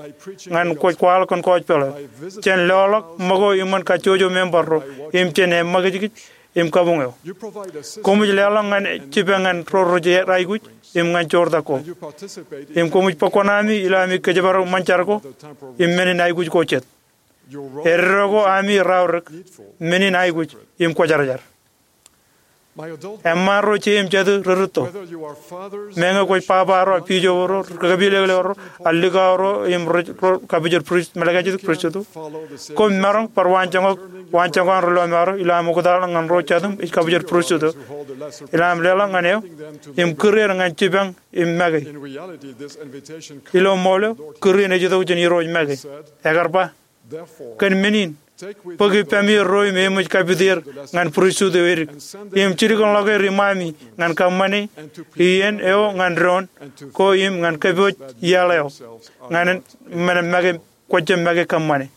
ñan kwōj kwaḷọk kōn gospel eo, jān loḷọk ṃōko iṃōn kajjojo member ro, im jān eṃṃakijkij im kabuñ eo. Koṃij leḷọk ñan jipañ ñan ro rej aikuj im ñan joortak ko. Im koṃij bōk kuṇaami ilo ami kōjparok ṃōn jar ko im men in aikuj ko jet. Eddo ko ami raorōk, men in aikuj im kwōjarjar. Eṃṃaan ro je im jatū ri-rūtto, meñe kwōj baba ro, bishop ro, kōpilōklōk ro, ak likao ro im rej ro kabōjor prist, Melchizedek pristut eo, koṃ maroñ bar waanjoñak, waanjoñak an ri-lọmọọr eo ilo aṃ oktaḷ ñan ro jatūṃ ej kabōjor pristut eo, ilo aṃ leḷọk ñan eo im kūr er ñan jipañ im make. Ilo ṃool eo, kūr in ej itok jān Irooj make. Ekar ba, kōn men in, bōk ippemi ro im eṃōj kapit er ñan pristut eo edik, im jilkinḷọk er iṃaami ñan kōṃṃane iien eo ñan doon ko im ñan kōpooj iaḷ eo, ñan men make, kwōj jab make kōṃṃane.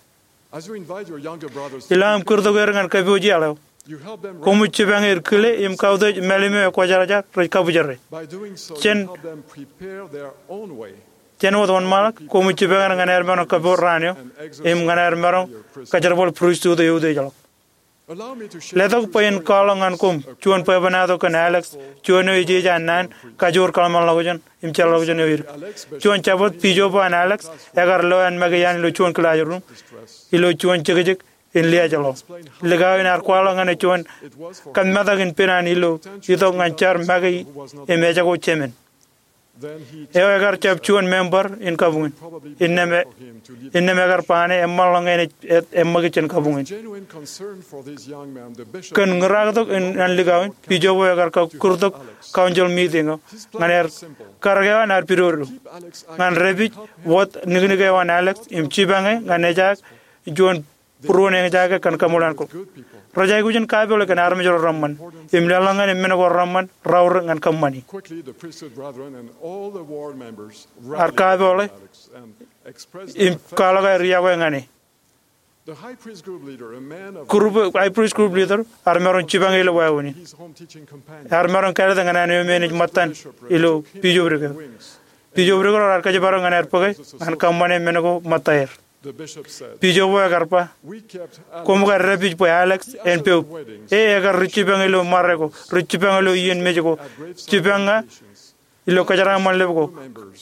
Ilo aṃ kūrtok er ñan kōpooj iaḷ eo, koṃij jipañ er kile im kautiej mālim eo ekwōjarjar rej kabōjere. Jān Jān wōt wōnṃaanḷọk, koṃij jipañ er ñan aer maroñ kōpooj raan eo, im ñan aer maroñ kōjerbal pristut eo eutiejḷọk. Letok bwe in kwaḷọk ñan koṃ juon bwebwenato kōn Alex, juon eo ej ej an naan kajoor kōḷmānḷọkjeṇ im jeorḷọkjeṇ eo edik. Juon Jabōt, bishop eo an Alex ekar lo an make iaan ilo juon kilaasruum ilo juon jekjek in liaajḷọk. Likao in ear kwaḷọk ñan e juon kōmmetak in pen an ilo itok ñan jar make im ejako jemān. Eo ekar jab juon member in kabuñ in. Innām e, innām ekar ba ñan e eṃṃanḷọk ñan e, e, eṃṃakūt jān kabuñ in. Kōn ñūraaktok in an likao in, bishop eo ekar kūrtok council meeting eo ñan aer karōk eo an aer pidodo ñan dāpij wōt niknik eo an Alex im jipañ e ñan ejaak juon būruon eñjake kōn kaṃṃoolol an ko. Rej aikuj in kapeḷḷọk kōn armej ro reṃṃan im leḷọk ñan e men ko reṃṃan raorōk ñan kōṃṃani. Ear kapeḷḷọk e im kwaḷọk aer iọkwe ñan e. Group, high priest group leader ear maroñ jipañ e ilo wāween in. Ear maroñ kāālōt ñan an eo me enaaj ṃōttan ilo bishopric eo. Bishopric ro raar kōjparok ñan aer bōke ñan kōṃṃane men ko ṃōtta er. Bishop eo ekar ba, koṃ kar dāpij bwe Alex en peuk. E ekar ri jipañ ilo ṃare ko, ri jipañ ilo iien mej ko, jipañ ña ilo kōjeraaṃṃan lep ko,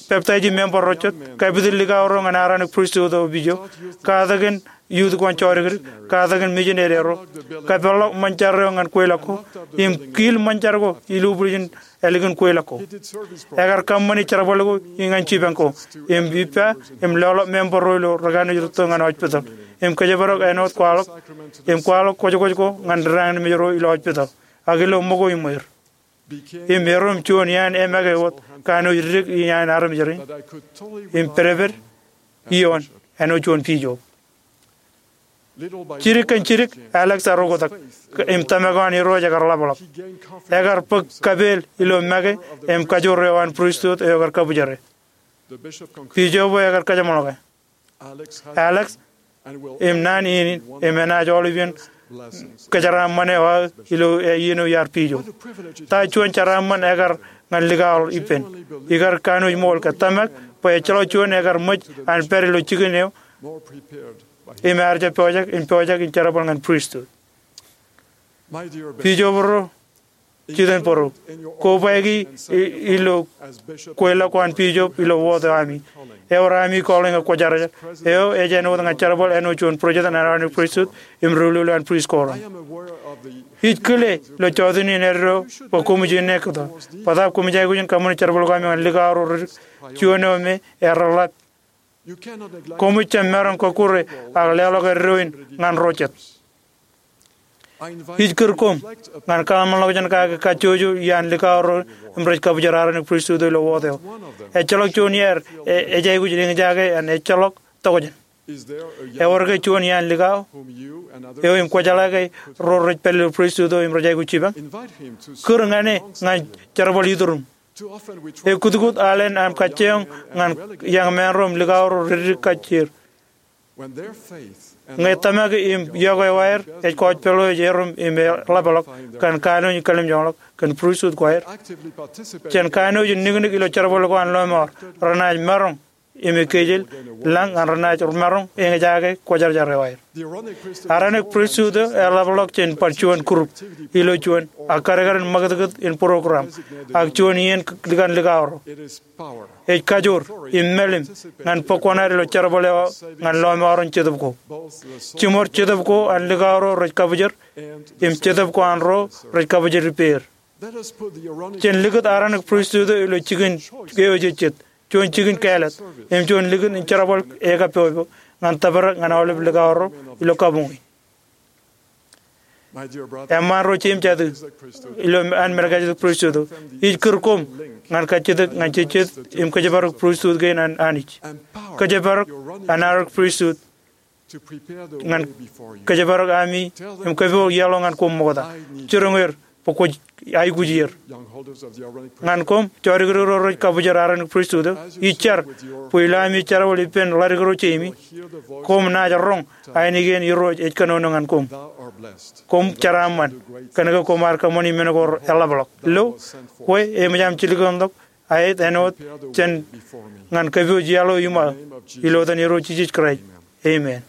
peptaiji member ro jet, kapit likao ro ñan Aaronic pristut eo, bishop, katakin youth ko an jọdikdik, katakin missionary ro, kapeḷḷọk ṃōn jar eo ñan kweilọk ko, im kiil ṃōn jar ko ilubwiljin ālikin kweilọk ko. Ekar kōṃṃani jerbal ko ñan jipañ ko, im ippa, im loḷọk member ro ilo rūkanoj rūtto ñan hospital, im kōjparok āinwōt kwaḷọk, im kwaḷọk kwōjkwōj ko ñan dānmej ro ilo hospital, ak ilo ṃōko iṃweer. Im erom juon iaan emake wōt kanooj dik iaan armej rein, im pedped ioon āinwōt juon bishop. Jidik kōn jidik, Alex ear oktak, im tōmak eo an Irooj ekar ḷapḷọk. Ekar bōk kapeel ilo make im kajoor eo an pristut eo ekar kabwijere. Bishop eo ekar kōjeṃḷọke. Alex im naan in im enaaj aolep iien kōjeraaṃṃan eo aō ilo iien eo iar bishop. Ta juon jeraaṃṃan ekar ñan likao ippān. Ikar kanooj ṃool ke tōmak bwe ejjeḷọk juon ekar ṃōj an pād ilo jikin eo im ear jab pojak in, pojak in jerbal ñan pristut. Bishop ro, jitōnbōro. Kobaiki i-, ilo kweilọk ko an bishop ilo wōt eo ami. Ewōr ami calling eo kwōjarjar. Eo ej āinwōt ñan jerbal āinwōt juon bōjrak an Aaronic Priesthood im ri-ḷuḷu an priest ko raṇ. Ij kile ilo jota in eddo bwe koṃij innām kōto. Bōtaab koṃij aikuj in kōṃṃane jerbal ko ami ñan likao ro ri-, juon eo me ear reḷḷap. Koṃij jab maroñ kọkkure ak leḷọk eddo in ñan ro jet. Ij kūr koṃ ñan kōḷmānḷọkjeṇ in kake kajjojo iaan likao ro im rej kabwijer Aaronic Priesthood ilo wōt eo. Ejjeḷọk juon iaer e-, ej aikuj in eñjake an ejjeḷọk tokjān. Ewōr ke juon iaan likao eo im kwōjeḷā ke ro rej pād ilo priesthood eo im rej aikuj jipañ? Kūr ñan e ñan jerbal ituruṃ. Ekkutkut alen am kajjioñ ñan iọkwe ro im likao ro rej dik kajjier. Ñe tōmak im iọkwe eo aer ej kọọj pād ḷọk, ej erom im eḷapḷọk, kōn kanooj in kalimjọñḷọk kōn priesthood ko aer. Jān kanooj in niknik ilo jerbal ko an lọmọọr, renaaj maroñ im ekkejel lañ ñan renaaj maroñ eñjake kwōjarjar eo aer. Aaronic priesthood eo eḷapḷọk jān bar juon group ilo juon ak kadkadin ṃakūtkūt in program ak juon iien likan likao ro. Ej kajoor im mālim ñan bōk kuṇaad ilo jerbal eo ñan lọmọọren jetōb ko. Jiṃor jetōb ko an likao ro rej kabwijer im jetōb ko an ro rej kabwijer ippāer. Jen likūt Aaronic priesthood eo ilo jikin eo ejejjet, juon jikin kāālōt, im juon likūt in jerbal ekapopo ñan tōprak ñan aolep likao ro ilo kabuñwi. Eṃṃaan ro jeiū im jatū ilo an Melchizedek priesthood eo, ij kūr koṃ ñan kajjitōk ñan jejjet im kōjparok priesthood kein an Anij. Kōjparok an Aaronic priesthood ñan kōjparok ami im kōpooj iaḷ eo ñan koṃ ṃokta. Jiroñ er bwe kwōj aikuj er. Ñan koṃ jọdik ro rej kabwijer Aaronic priesthood eo, ij jar bwe ilo ami jerbal ippān ḷadik ro jeimi, koṃ naaj roñ ainikien Irooj ej kōnono ñan koṃ. Koṃ jeraaṃṃan kōnke koṃ ar kōṃṃani men ko reḷapḷọk. Lo, kwe eṃōj aṃ jilkinḷọk aet āinwōt jān ñan kōpooj iaḷ eo iṃō, ilo etan Irooj Jisōs Kraist. Amen.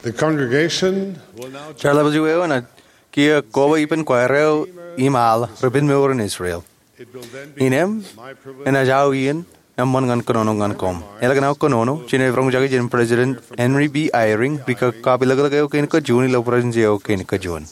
The congregation will now join. Jar ḷapḷọk juon eo enaaj kiiō koba ippān choir eo im al Ribbon Mower in Israel. Innām enaaj aō iien eṃṃan ñan kōnono ñan koṃ. Eḷak an aō kōnono, jen roñjake jān President Henry B. Eyring, rikaki kab ilōklōk eo kein kajuon ilo Presidency eo kein kajuon.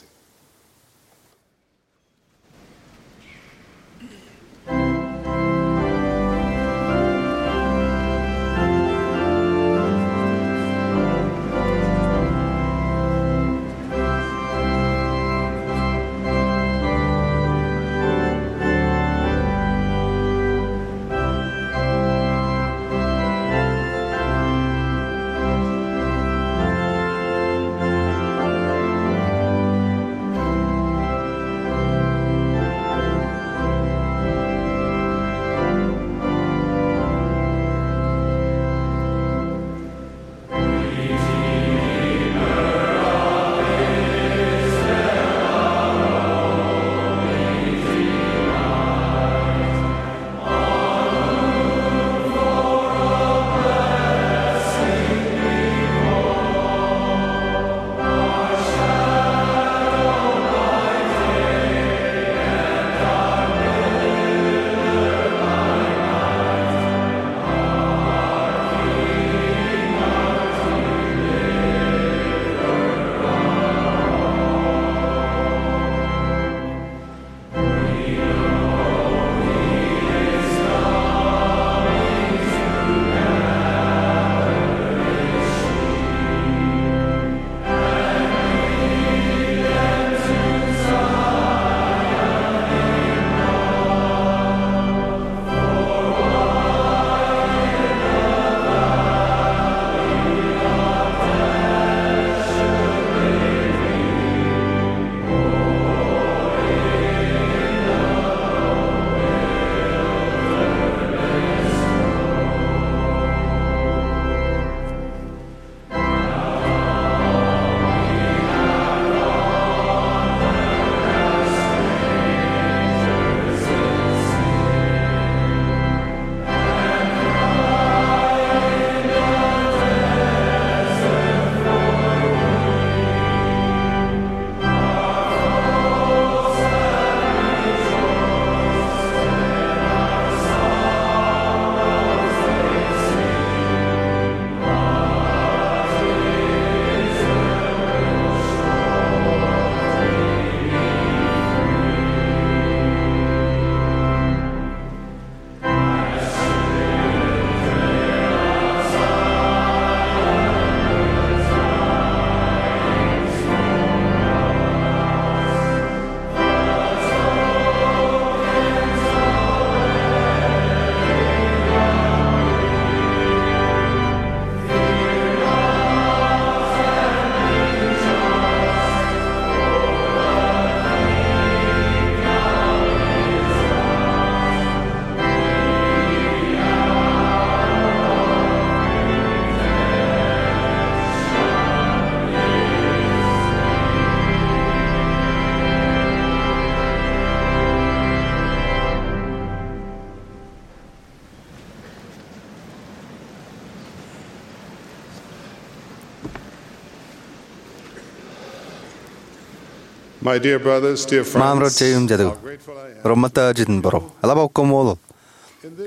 My dear brothers, dear friends, Ṃaan ro jeiū im jatū, how grateful I am ro ṃōtta jet in bōro. Eḷap aō koṃṃool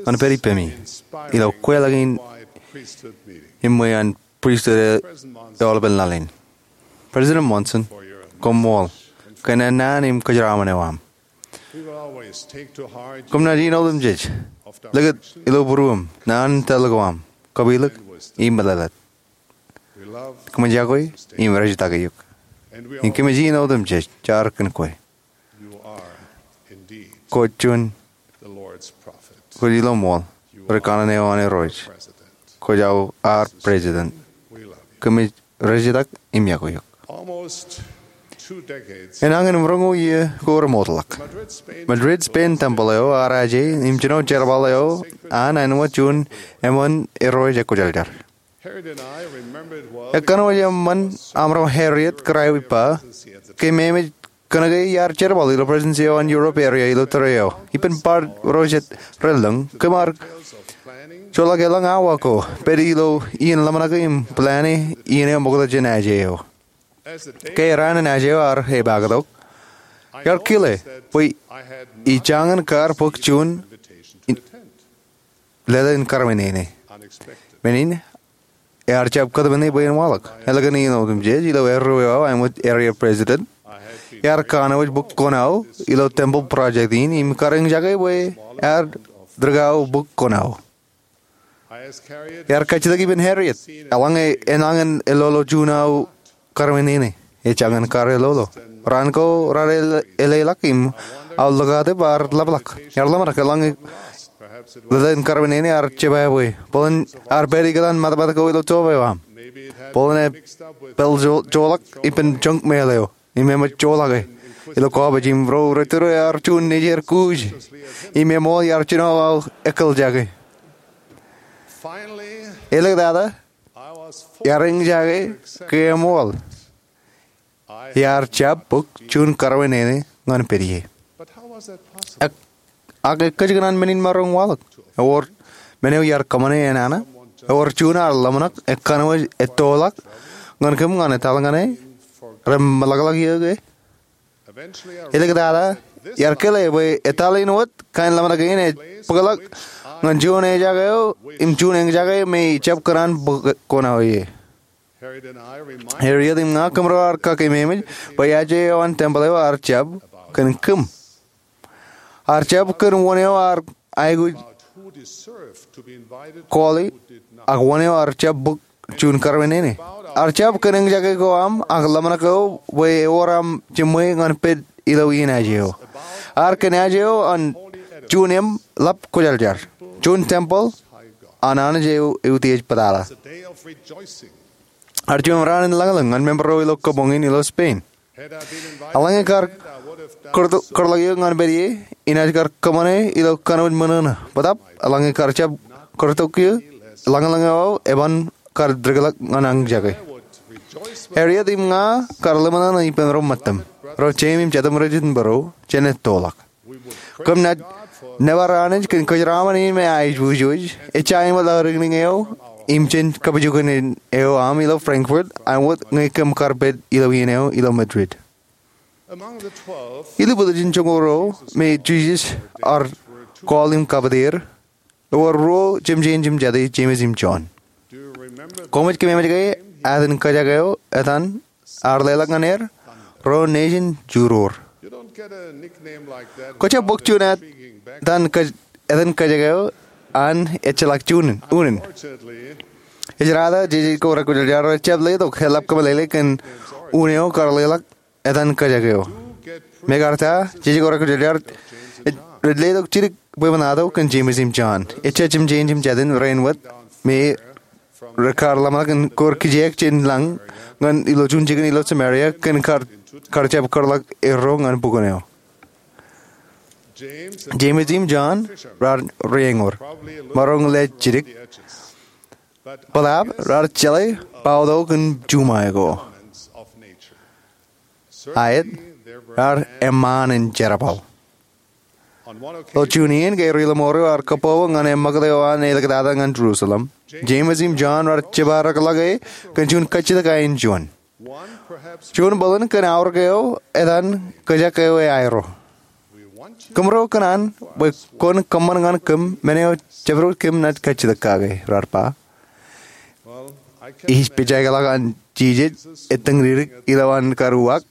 ñan pād ippemi ilo kweilọk in priesthood meeting. Iṃwe an pristut e, President Monson, aolepān laḷ in. President Monson, koṃṃool kōn ennaan im kōjeraaṃṃan eo aṃ. We will always take to heart Koṃ naaj iien otemjej likūt ilo būruōṃ, naan in tōl ko aṃ, kōpilōk im meḷeḷe. Kōmij yokwe im rejitak eok. Im kōmij iien otemjej jaar kōn kwe. Kwōj juon, kwōj ilo ṃool ri kanaan eo an Irooj. Kwōj aō ad president. Kōmij rejitak im yokwe eok. Enañin im roñoul iiō ko remootḷọk, Madrid, Spain tempel eo ear aje im jino jerbal eo an āinwōt juon eṃṃan Irooj ekwōjarjar. Ekkā wōj eṃṃan aṃro Harriet kōrā eo ippa, ke memeej kōnke iar jerbal ilo presidency eo an Europe area ilo tōre eo. Ippān bar ro jet relōñ, kōm ar joḷọk elōñ awa ko pād ilo iien ḷōmṇak im plan e iien eo ṃokta jān aje eo. Ke raan in aje eo ar epaak tok, iar kile bwe ijañin kar bōk juon leḷọk in karwin ene. Men in ear jab kōtmāne bwe en waḷọk. Ālikin iien otemjej ilo erreo aō āinwōt area president, iar kanooj bōk kuṇaō ilo temple project in im kar eñjake bwe ear dik aō bōk kuṇaō. Iar kajjitōk ippān Harriet eḷaññe enañin elolo juon aō karwin ene. Ejañin kar elolo. Raan ko raar eleḷọk im aolokatep ar ḷapḷọk. Iar ḷōmṇak eḷaññe leḷọk in karwin ene ar jebwābwe. Bōlen ear pād ikōtaan matmat ko ilo job eo aṃ. Bōlen epād joḷọk ippān junk mail eo im eṃōj joḷọke ilo garbage im ro rej tōre ear juon nejier kuuj im eṃool iar jino aō ekkiljake. Āliktata, iar eñjake ke eṃool iar jab bōk juon karwin ene ñan pād ie. Ak, ak ekkōjkan an men in maroñ waḷọk? Ewōr men eo iar kōṃṃane enana? Ewōr juon ear ḷōmṇak ekkā wōj ettoḷọk ñan kōm ñan etal ñan e reṃṃanḷọk eō ke? Āliktata, iar kile bwe etal in wōt kain ḷōmṇak in ej bōkḷọk ñan juon ejak eo im juon eñjake me ejab kōṇaan bōk kuṇaō ie. Harriet im ña kōmro ar kakeememej bwe aje eo an temple eo ar jab kōn kōm. Ar jab kōn wōn eo ar aikuj kọọle ak wōn eo ar jab bōk juon karwin ene. Ar jab kōn eñjake ko aṃ ak ḷōmṇak eo bwe ewōr aṃ jiṃwe ñan pād ilo iien aje eo. Ar kōn aje eo an juon eṃ ḷap kwōjarjar, juon temple an Anij eo eutiej bōtata. Ar juon raan in lañlōñ ñan member ro ilo kabuñ in ilo Spain. Eḷaññe kar kōrḷọk eō ñan pād ie, inaaj kar kōṃṃane ilo kōnooj ṃōṇōṇō. Bōtaab eḷaññe kar jab kōrtok eō, lañlōñ eo aō eban kar dikḷọk ñan eñjake. Harriet im ña kar ḷōmṇōṇō ippān ro ṃōttam, ro jeim im jatūṃ rej itōnbōro jān ettoḷọk. Kōm naaj nōbar Anij kōn kōjeraaṃṃan in me eaajwōjwōj, ejja āinwōt aō riknik eo im jān kabijuknen eo aṃ ilo Frankfurt, āinwōt ñe kōm kar pād ilo iien eo ilo Madrid. Ilubwōt ijin joñoul ruo me Jisōs ear call im kabōtier, ewōr ruo jemjein jemjate, James im John. Koṃij keememej ke etan kōjak eo etan ear leḷọk ñan er? Ro nejin juroor. Kwōjab bōk juon etan kōj-, etan kōjak eo an ejjeḷọk juon unin. Ej raan jeje ko rekwōjarjar rej jab letok eḷap kōmeḷeḷe kōn un eo kar leḷọk etan kōjak eo. Mekarta jeje ko rekwōjarjar rej letok jidik bwebwenato kōn James im John. Ejja jemjein jemjaten rein wōt me rekar ḷōmṇak in kor kijeek jān lañ ñan ilo juon jikin ilo Samaria kōn kar, kar jab kōrḷọk erro ñan bukwōn eo. James im John raar rieñour, maroñ lej jidik. Bōtaab raar jeḷā bauto kōn juṃae ko. Aet, raar eṃṃaan in jerbal. Ilo juon iien ke ri ḷōṃaro ear kōboobo ñan eṃṃakūt eo an āliktata ñan Jerusalem, James im John raar jepaarakḷọk e kōn juon kajjitōk aenjuon. Juon bōlen kōn aorōk eo etan kōjak eo eaerro. Kōmro kōṇaan bwe kwōn kōṃṃan ñan kōm men eo jabdewōt kōm naaj kajjitōk kake, raar ba. Ij pejjeḷọk an Jisōs ettōñdikdik ilo an kar uwaak,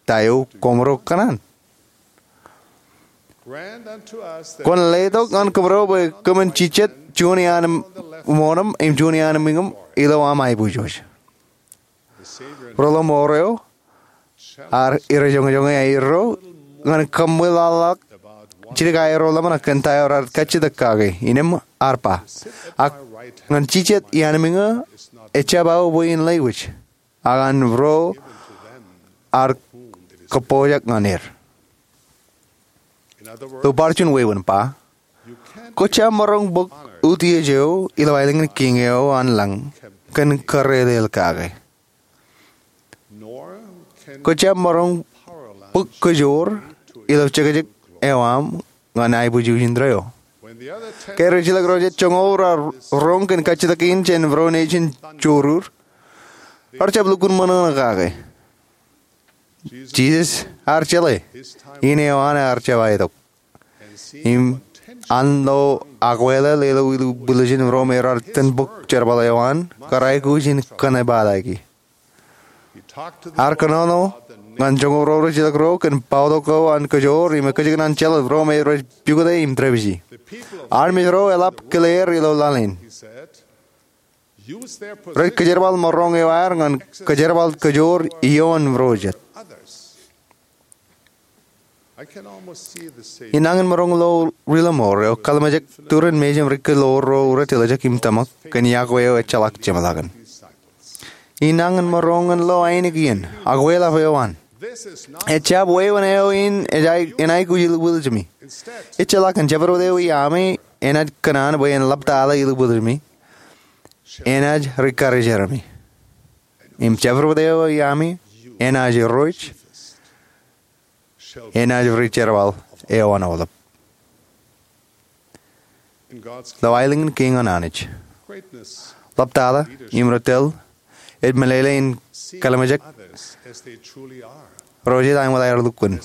ta eo kōmro kōṇaan. Kwōn letok ñan kōmro bwe kōmin jijet juon iaan ṃoṇōṃ im juon iaan ṃwiñōṃ ilo aṃ aiboojoj. Ri-ḷōṃaro ear irejoñojoñe aerro ñan kaṃṃoolol jidik aerro ḷōmṇak kōn ta eo raar kajjitōk kake, innām ear ba, ak ñan jijet iaan ṃwiño ejjab aō bwe in lewōj, ak an ro ear kōppojak ñan er. Ilo bar juon wāween ba, kwōjjab maroñ bōk utiej eo ilo aelōñ in kiiñ eo an lañ kōn kōrelel kake. Kwōjjab maroñ bōk kōjoor ilo jekjek eo aṃ ñan aiboojoj indeeo. Ke rijjilōk ro jet joñoul raar roñ kōn kajjitōk in jān ro nejin jorur, rej jab lukkuun ṃōṇōṇō kake. Jisōs ear jeḷā in eo an ear jab aetok. Im an lo akwālel ilo ilubwiljin ro me raar tōn bōk jerbal eo an, kar aikuj in kōnnaan ippaḷaki. Ear kōnono ñan joñoul ro rijjilōk ro kōn bōktok eo an kōjoor im ekkejel an jeḷā ro me rej pukot e im dāpiji. Armej ro eḷap kile er ilo laḷ in. Rej kōjerbal maroñ eo aer ñan kōjerbal kōjoor ioon ro jet. Inañin maroñ lo ri-ḷōṃaro eo kallimjek turin mejān ri-kōlool ro rej tiljek im tōmak kōn iọkwe eo ejjeḷọk jeṃḷọkin. Inañin maroñ lo ainikien akwālaḷ eo an. Ejjab wāween eo in ej aikuj ilubwiljimi. Ejjeḷọk an jabdewōt eo iaami enaaj kōṇaan bwe en ḷaptata ilubwiljimi, enaaj rikarijeraṃ. Im jabdewōt eo iaami enaaj irooj, enaaj ri jerbal eo an aolep. Ilo aelōñ in kiiñ an Anij, ḷaptata im ri tōl ej meḷeḷe in kallimjek ro jet āinwōt aer lukkuun,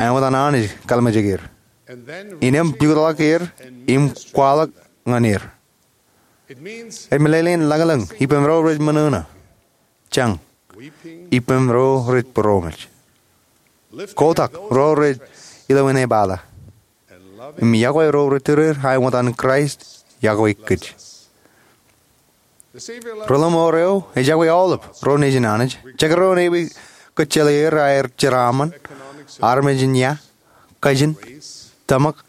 āinwōt an Anij kallimjek er, innām pukotḷọk er im kwaḷọk ñan er. Ej meḷeḷe in lañlōñ ippem ro rej ṃōṇōṇō, jañ ippem ro rej būroṃōj, kotak ro rej ilo enaaj baḷa, im iọkwe ro rej tūrier āinwōt an Kraist iọkwe kōj. Ri-ḷōṃaro eo ej iọkwe aolep ro nejin Anij, jekdọọn ewi kōjjeḷā er aer jeraaṃṃan, armej in ia, kajin, tōmak,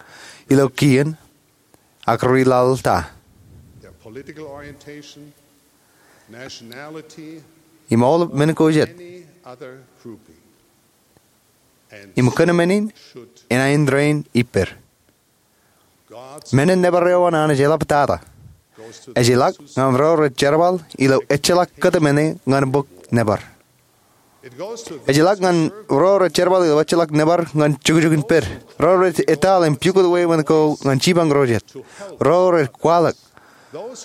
ilo kien, ak ri-laḷ ta, im aolep men ko jet. Im kōn men in enaaj indein ippād. Men in nōbar eo an Anij eḷaptata ejjeḷọk ñan ro rej jerbal ilo ejjeḷọk kōtmāne ñan bōk nōbar. Ejjeḷọk ñan ro rej jerbal ilo ejjeḷọk nōbar ñan jukjuk in pād, ro rej etal im pukot wāween ko ñan jipañ ro jet, ro rej kwaḷọk,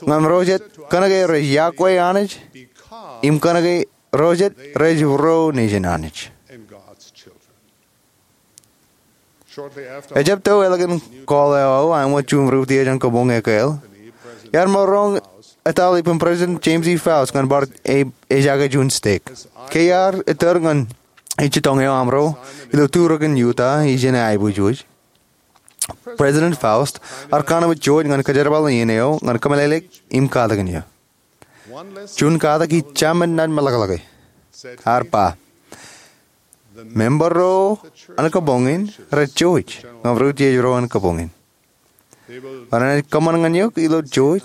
ñan ro jet kōnke rej iọkwe Anij im kōnke ro jet rej ro nejin Anij. Ejjab to ālikin call eo aō āinwōt juon ri-utiej an kabuñ ekāāl, iar maroñ etal ippān President James E. Faust ñan bar ej, ej aō juon stek. Ke iar ettōr ñan ijjitōñ eo aṃro ilo turōkin Utah ijin aiboojoj, President Faust ear kanooj juon ñan kajerbal iien eo ñan kōmeḷeḷeik im katakin eō. Juon katak ij jab naaj meḷọkḷọke. Ear ba, member ro an kabuñ in rej jouj ñan ri-utiej ro an kabuñ in. Bwe renaaj kōṃṃan ñan eok ilo jouj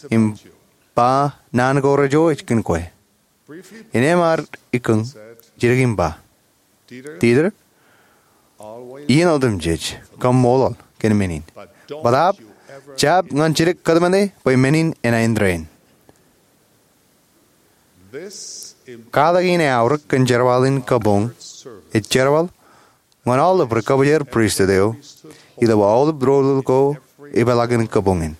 im ba naan ko rej jouj kōn kwe. Innām ear ikkōñ jidik im ba, Dieter, iien otemjej kaṃṃoolol kōn men in. Bōtaab jab ñan jidik kōtmāne bwe men in enaaj indein. Katak in eaorōk kōn jerbal in kabuñ ej jerbal ñan aolep ri-kabwijer pristut eo ilo aolep rōl ko epeḷaakin kabuñ in.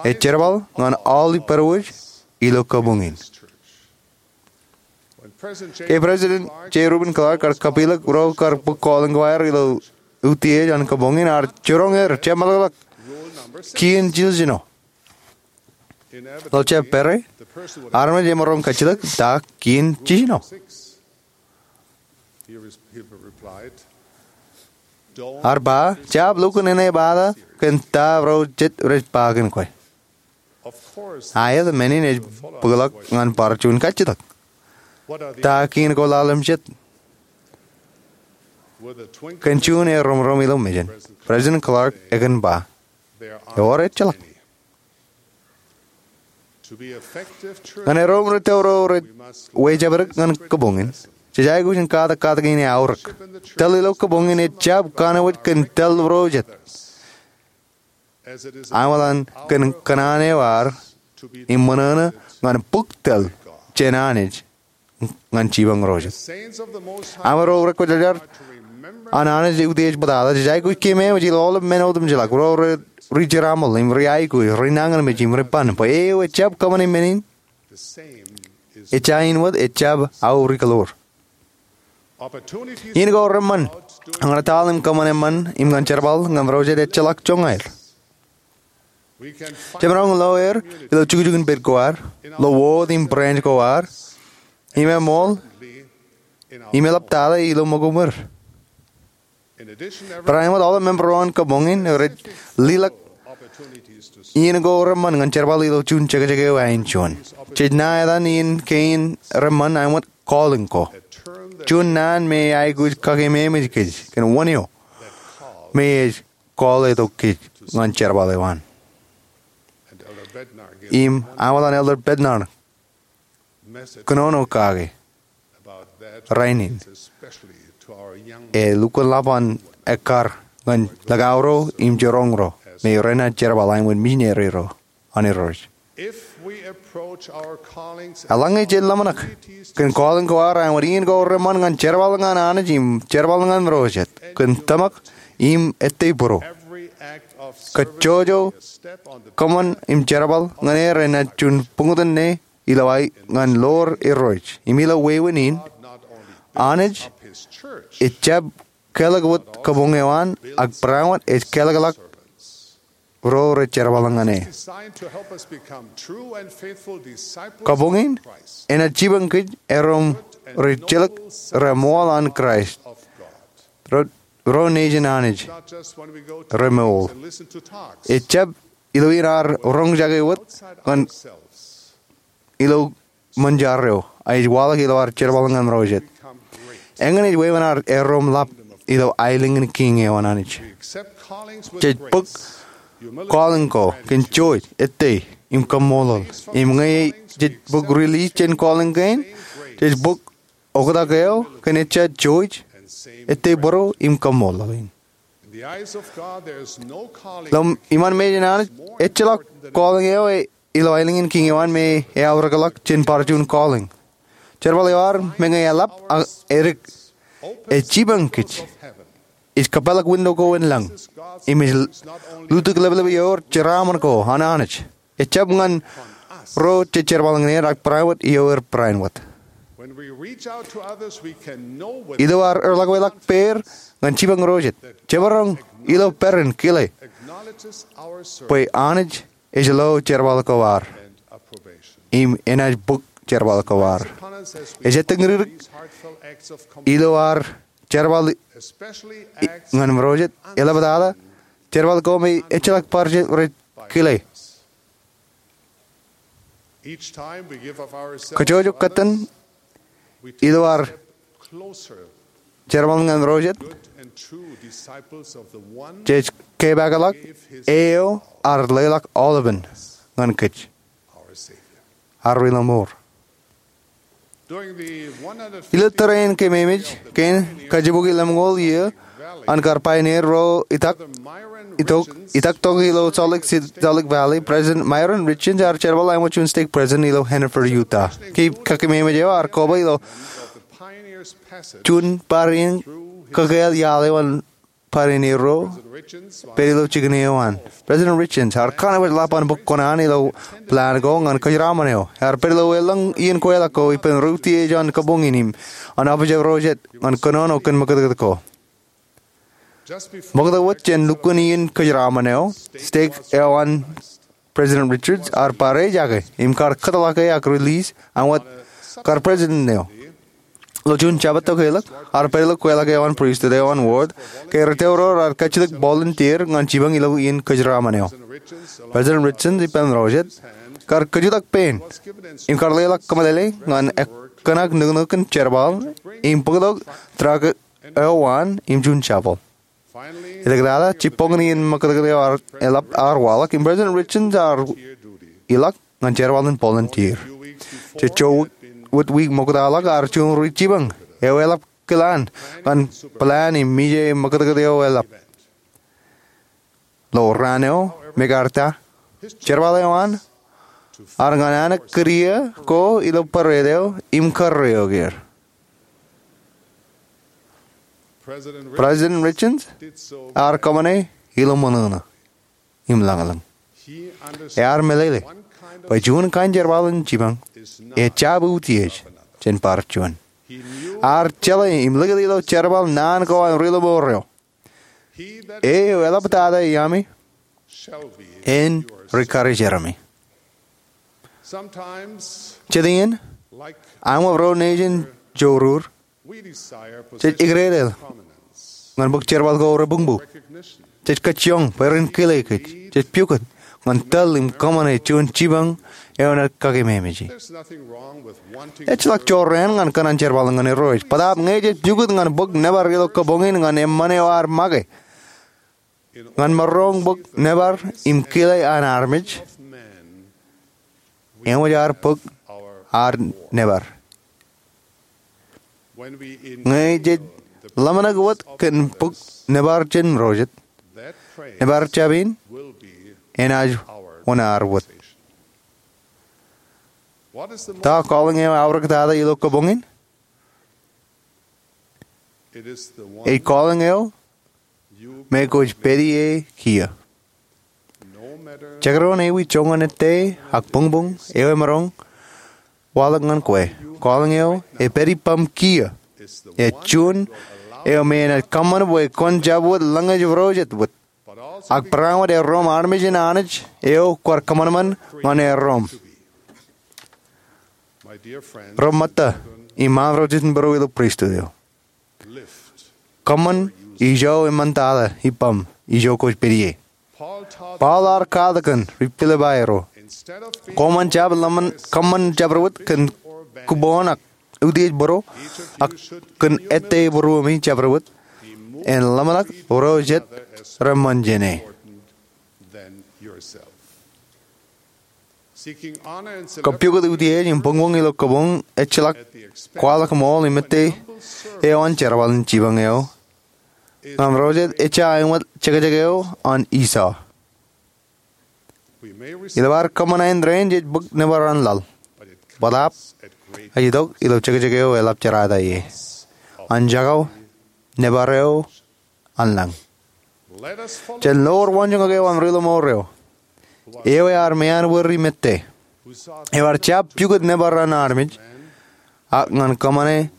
Ej jerbal ñan aolep ippād wōj ilo kabuñ in. Ke President J. Reuben Clark ear kapilōk ro kar bōk calling ko aer ilo utiej an kabuñ in, ear jiroñ er jab meḷọkḷọk kien jiljino. Ilo jab pere, armej emaroñ kajjitōk ta kien jiljino. Ear ba, jab lukkuun enaaj bother kōn ta ro jet rej ba kōn kwe. Aet, men in ej bōkḷọk ñan bar juon kajjitōk. Ta kien ko laḷḷap jet? Kōn juon ear romrom ilo mejān, President Clark ekōn ba, ewōr ejjeḷọk. Ñan erom ri tōl ro rej wejāpdik ñan kabuñ in, jej aikuj in katak katak in eaorōk. Tōl ilo kabuñ in ej jab kanooj kōn tōl ro jet. Aolep kōn kōṇaan eo ad im ṃōṇōṇō ñan bōk tōl jān Anij ñan jipañ ro jet. Aolep ro rekwōjarjar an Anij utiej bōtata, jej aikuj keememej ilo aolep men otemjeḷọk, ro rej ri-jeraṃōl im ri-aikuj, ri-nañinmej im ri-ban, bwe eo ejjab kōṃṃane men in, ejja in wōt ejjab aorōk ḷọk. Iien ko reṃṃan ñan etal im kōṃṃan eṃṃan im ñan jerbal ñan ro jet ejjeḷọk joñaer. Jemaroñ lo er ilo jukjuk in pād ko ad, lo wōt im branch ko ad, im eṃool, im eḷap tata ilo ṃōko ṃweo. Barāinwōt, aolep member ro an kabuñ in rej leḷọk iien ko reṃṃan ñan jerbal ilo juon jekjek eo ain juon. Jej ṇa etan iien kein reṃṃan āinwōt calling ko. Juon naan me aikuj kakeememej kōj kōn wōn eo me ej call tok kōj ñan jerbal eo an. Im aolep an Elder Bednar kōnono kake rainin, e lukkuun ḷap an ekkar ñan likao ro im jiroñ ro me renaaj jerbal āinwōt misineri ro an Irooj. Eḷaññe jej ḷōmṇak kōn calling ko ad āinwōt iien ko reṃṃan ñan jerbal ñan Anij im jerbal ñan ro jet kōn tōmak im ettei būruo, kajjojo kōṃṃan im jerbal ñan er enaaj juon buñtōn ṇe ilo aer ñan ḷoor Irooj im ilo wāween in. Anij ejjab kelọk wōt kabuñ eo an, ak barāinwōt ej kelọkḷọk ro rej jerbal ñan e. Kabuñ in enaaj jipañ kōj erom ri-jilkinḷọk reṃool an Kraist, ro, ro nejin Anij remour. Ejjab ilo iien ad roñjake wōt ñan ilo ṃōn jar eo, ak ej waḷọk ilo ad jerbal ñan ro jet. Eñin ej wāween ad erom ḷap ilo aelōñ in kiiñ eo an Anij. Jej bōk calling ko kōn jooj, ettei, im kaṃṃoolol. Im ñe jej bōk release jān calling kein, jej bōk oktak eo kōn ejja jooj, ettei būruo im kaṃṃoolol in. Ilo iṃaan mejān Anij, ejjeḷọk calling eo e ilo aelōñ in kiiñ eo an me eaorōkḷọk jān bar juon calling. Jerbal eo ad, meñe eḷap ak edik, ej jipañ kōj, ej kōpeḷḷọk window ko in lañ, im ej lutōk leplepe ioer jeraaṃṃan ko an Anij. Ejjab ñan ro jej jerbal ñan er ak barāinwōt ioer barāinwōt. Ilo ad erḷọkweḷọk peid ñan jipañ ro jet, jemaroñ ilo peran kile bwe Anij ej lo jerbal ko ad im enaaj bōk jerbal ko ad. Ej ettōñdikdik ilo ad jerbal ñan ro jet, eḷaptata jerbal ko me ejjeḷọk bar jet rej kile. Kajjojo kōttan ilo ad jerbal ñan ro jet, jej kepaakḷọk eo ear leḷọk aolepen ñan kōj, ad ri-lọmọọr. Ilo tōre in keememej kein kajibukwi lemñoul iiō an kar pioneer ro itak, itok, itak tok ilo Salt Lake City, Salt Lake Valley, President Myron Richins ear jerbal āinwōt juon stake president ilo Hanford, Utah. Ke kakeememej eo ear koba ilo juon bar in kakāāl iaḷ eo an bar in erro pād ilo jikin eo an. President Richins ear kanooj ḷap an bōk kuṇaan ilo plan ko ñan kōjeraṃṃan eo. Ear pād ilo elōñ iien kweilọk ko ippān ri utiej an kabuñ in im an Office of Ro Jet ñan kōnono kōn ṃakūtkūt ko. Ṃokta wōt jān lukkuun iien kōjeraṃṃan eo, steik eo an President Richins ear bar ejake im kar kōtḷọk e ak release an wōt kar president eo. Ilo June jabōt eo keḷọk, ear pād ilo kweilọk eo an pristut eo an ward ke ri tōre ro raar kajjitōk volunteer ñan jipañ ilo iien kōjeraṃṃan eo. President Richins ippān ro jet kar kōjutḷọk pein im kar leḷọk kōmeḷeḷe ñan ekkōṇak nuknuk in jerbal im bōktok truck eo an im juon shovel. Eḷap tata, jibboñin iien ṃakūtkūt eo eḷap ear waḷọk im President Richins ear ilọk ñan jerbal in volunteer. Jej jo wōt wiik ṃoktaḷọk ear juon ri jipañ eo eḷap kilaan ñan plan im mije ṃakūtkūt eo eḷap. Ilo raan eo, mekarta, jerbal eo an ear ñan anōk kidiō ko ilo bōrād eo im kōrreoik er. President Richins ear kōṃṃane ilo ṃōṇōṇō im lañlōñ. Ear meḷeḷe bwe juon kain jerbal in jipañ ejjab utiej jān bar juon. Ear jeḷā im likūt ilo jerbal naan ko an ri ḷōṃour eo, "E eo eḷaptata iaami en rikarijerami." Jet iien, aṃ wōt ro nejin jorur, jej ikdedeḷ ñan bōk jerbal ko rebuñbū. Jej kajjioñ bwe ren kile kōj. Jej pukot ñan tōl im kōṃṃane juon jipañ eo enaaj kakememej. Ejjeḷọk jorrāān ñan kōṇaan jerbal ñan Irooj, bōtaab ñe jej pukot ñan bōk nōbar ilo kabuñ in ñan eṃṃan eo ear make ñan maroñ bōk nōbar im kile an armej, eṃōj ad bōk ad nōbar. Ñe jej ḷōmṇak wōt kōn bōk nōbar jān ro jet, nōbar jab in enaaj wōṇāān wōt. Ta calling eo eaorōk tata ilo kabuñ in? Ej calling eo me kwōj pād ie kiiō. Jekdọọn ewi joñan ettā ak buñbuñ eo emaroñ waḷọk ñan kwe, calling eo epād ippaṃ kiiō ej juon eo me enaaj kōṃṃan bwe kwōn jab wōt lōñej ro jet wōt, ak barāinwōt erroṃ armej in Anij eo kwaar kōṃanṃan ñan erroṃ. Ro ṃōtta im ro jitōnbōro ilo pristut eo, kōṃṃan ijo eṃṃantata ippaṃ ijo kwōj pād ie. Paul ear katakin ri Pilippai ro, koṃwin jab ḷōmṇak kōṃṃan jabdewōt kōn kuboon ak utiej būruō, ak kōn ettā būruōmi jabdewōt, en ḷōmṇak ro jet reṃṃan jāne. Kōpukot utiej im buñbuñ ilo kabuñ ejjeḷọk kwaḷọk ṃool im ettā eo an jerbal in jipañ eo. Ñan ro jet ejja āinwōt jekjek eo an Esau. Ilo ad kōṃṃan āindein jej bōk nōbar an laḷ, bōtaab ej itok ilo jekjek eo eḷap jerata ie, an jako nōbar eo an lañ. Jen loor waanjoñak eo an ri ḷōṃour eo, eo ear meanbwiri mejān, eo ear jab pukot nōbar an armej, ak ñan kōṃṃane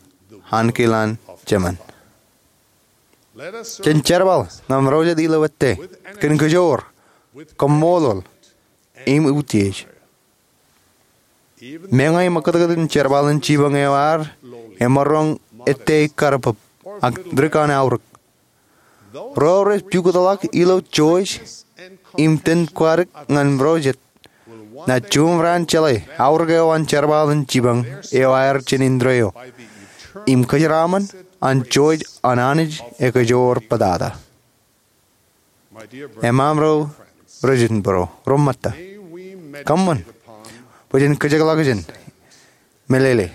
ankilaan jemān. Jen jerbal ñan ro jet ilo ettā, kōn kōjoor, kōṃṃoolol, im utiej. Meñe ṃakūtkūt in jerbal in jipañ eo ad emaroñ ettā karpūb ak dik an aorōk, ro rej pukotḷọk ilo jouj im iten kwadik ñan ro jet naaj juṃae raan jeḷā aorōk eo an jerbal in jipañ eo aer jān indeeo im kōjeraṃṃan an jouj an Anij ekajoor bōtata. Eṃṃan ro rej jitōnbōro, ro ṃōtta, kōṃṃan bwe jen kōjekḷọk jān, meḷeḷe,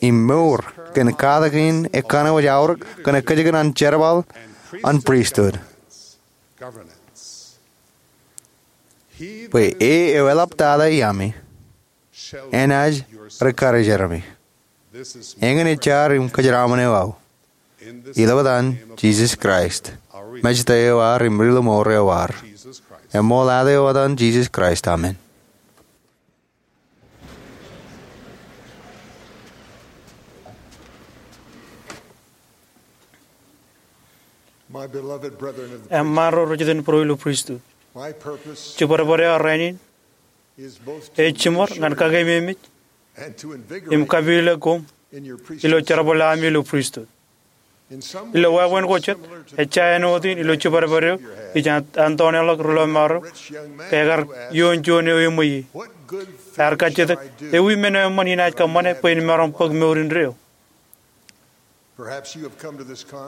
im mour kōn katak in ekkanooj aorōk kōn ekkejekdọọn jerbal an pristut. Bwe e eo eḷaptata iaami enaaj rikarijerami. Eñin ej jar im kōjeraṃṃan eo aō, ilo etan Jisōs Kraist, Mejta eo ad im ri-lọmọọr eo ad. Im ṃool ad eo etan Jisōs Kraist, amen. Eṃṃaan ro rej jitōnbōro ilo pristut, jibadbad eo rainin ej jiṃor ñan kakeememej im kapilōk koṃ ilo jerbal eo aṃ ilo pristut. Ilo wāween ko jet, ejja āinwōt in ilo jibadbad eo ij antoneḷọk ri-lọmọọr eo, ke ekar ioon juon eo eṃweiie. Ear kajjitōk, ewi men eo eṃṃan inaaj kōṃṃane bwe in maroñ bōk mour indeeo?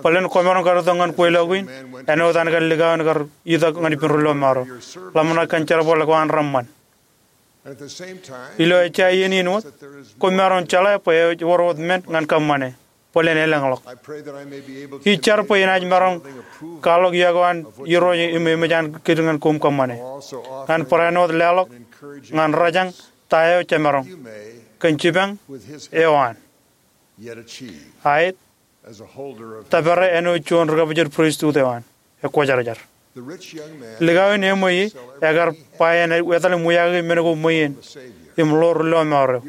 Bōlen kwōmaroñ kar itok ñan kweilọk in āinwōt an kar likao in kar itok ñan ippān ri-lọmọọr eo, ḷōmṇak kōn jerbal ko an reṃṃan. Ilo ejja iien in wōt, kwōmaroñ jeḷā bwe ej wōr wōt men ñan kōṃṃane, bōlen elōñḷọk. Ij jar bwe inaaj maroñ kwaḷọk iọkwe an Irooj im eṃōj an kōtḷọk ñan koṃ kōṃṃane. Ñan barāinwōt leḷọk ñan rōjañ ta eo jemaroñ kōn jipañ eo an. Aet, tōpare āinwōt juon ri-kabwijed pristut eo an, ekwōjarjar. Likao in eṃweiie ekar ba enaaj etal im wiaakiki men ko ṃweien im ḷoor ri-lọmọọr eo.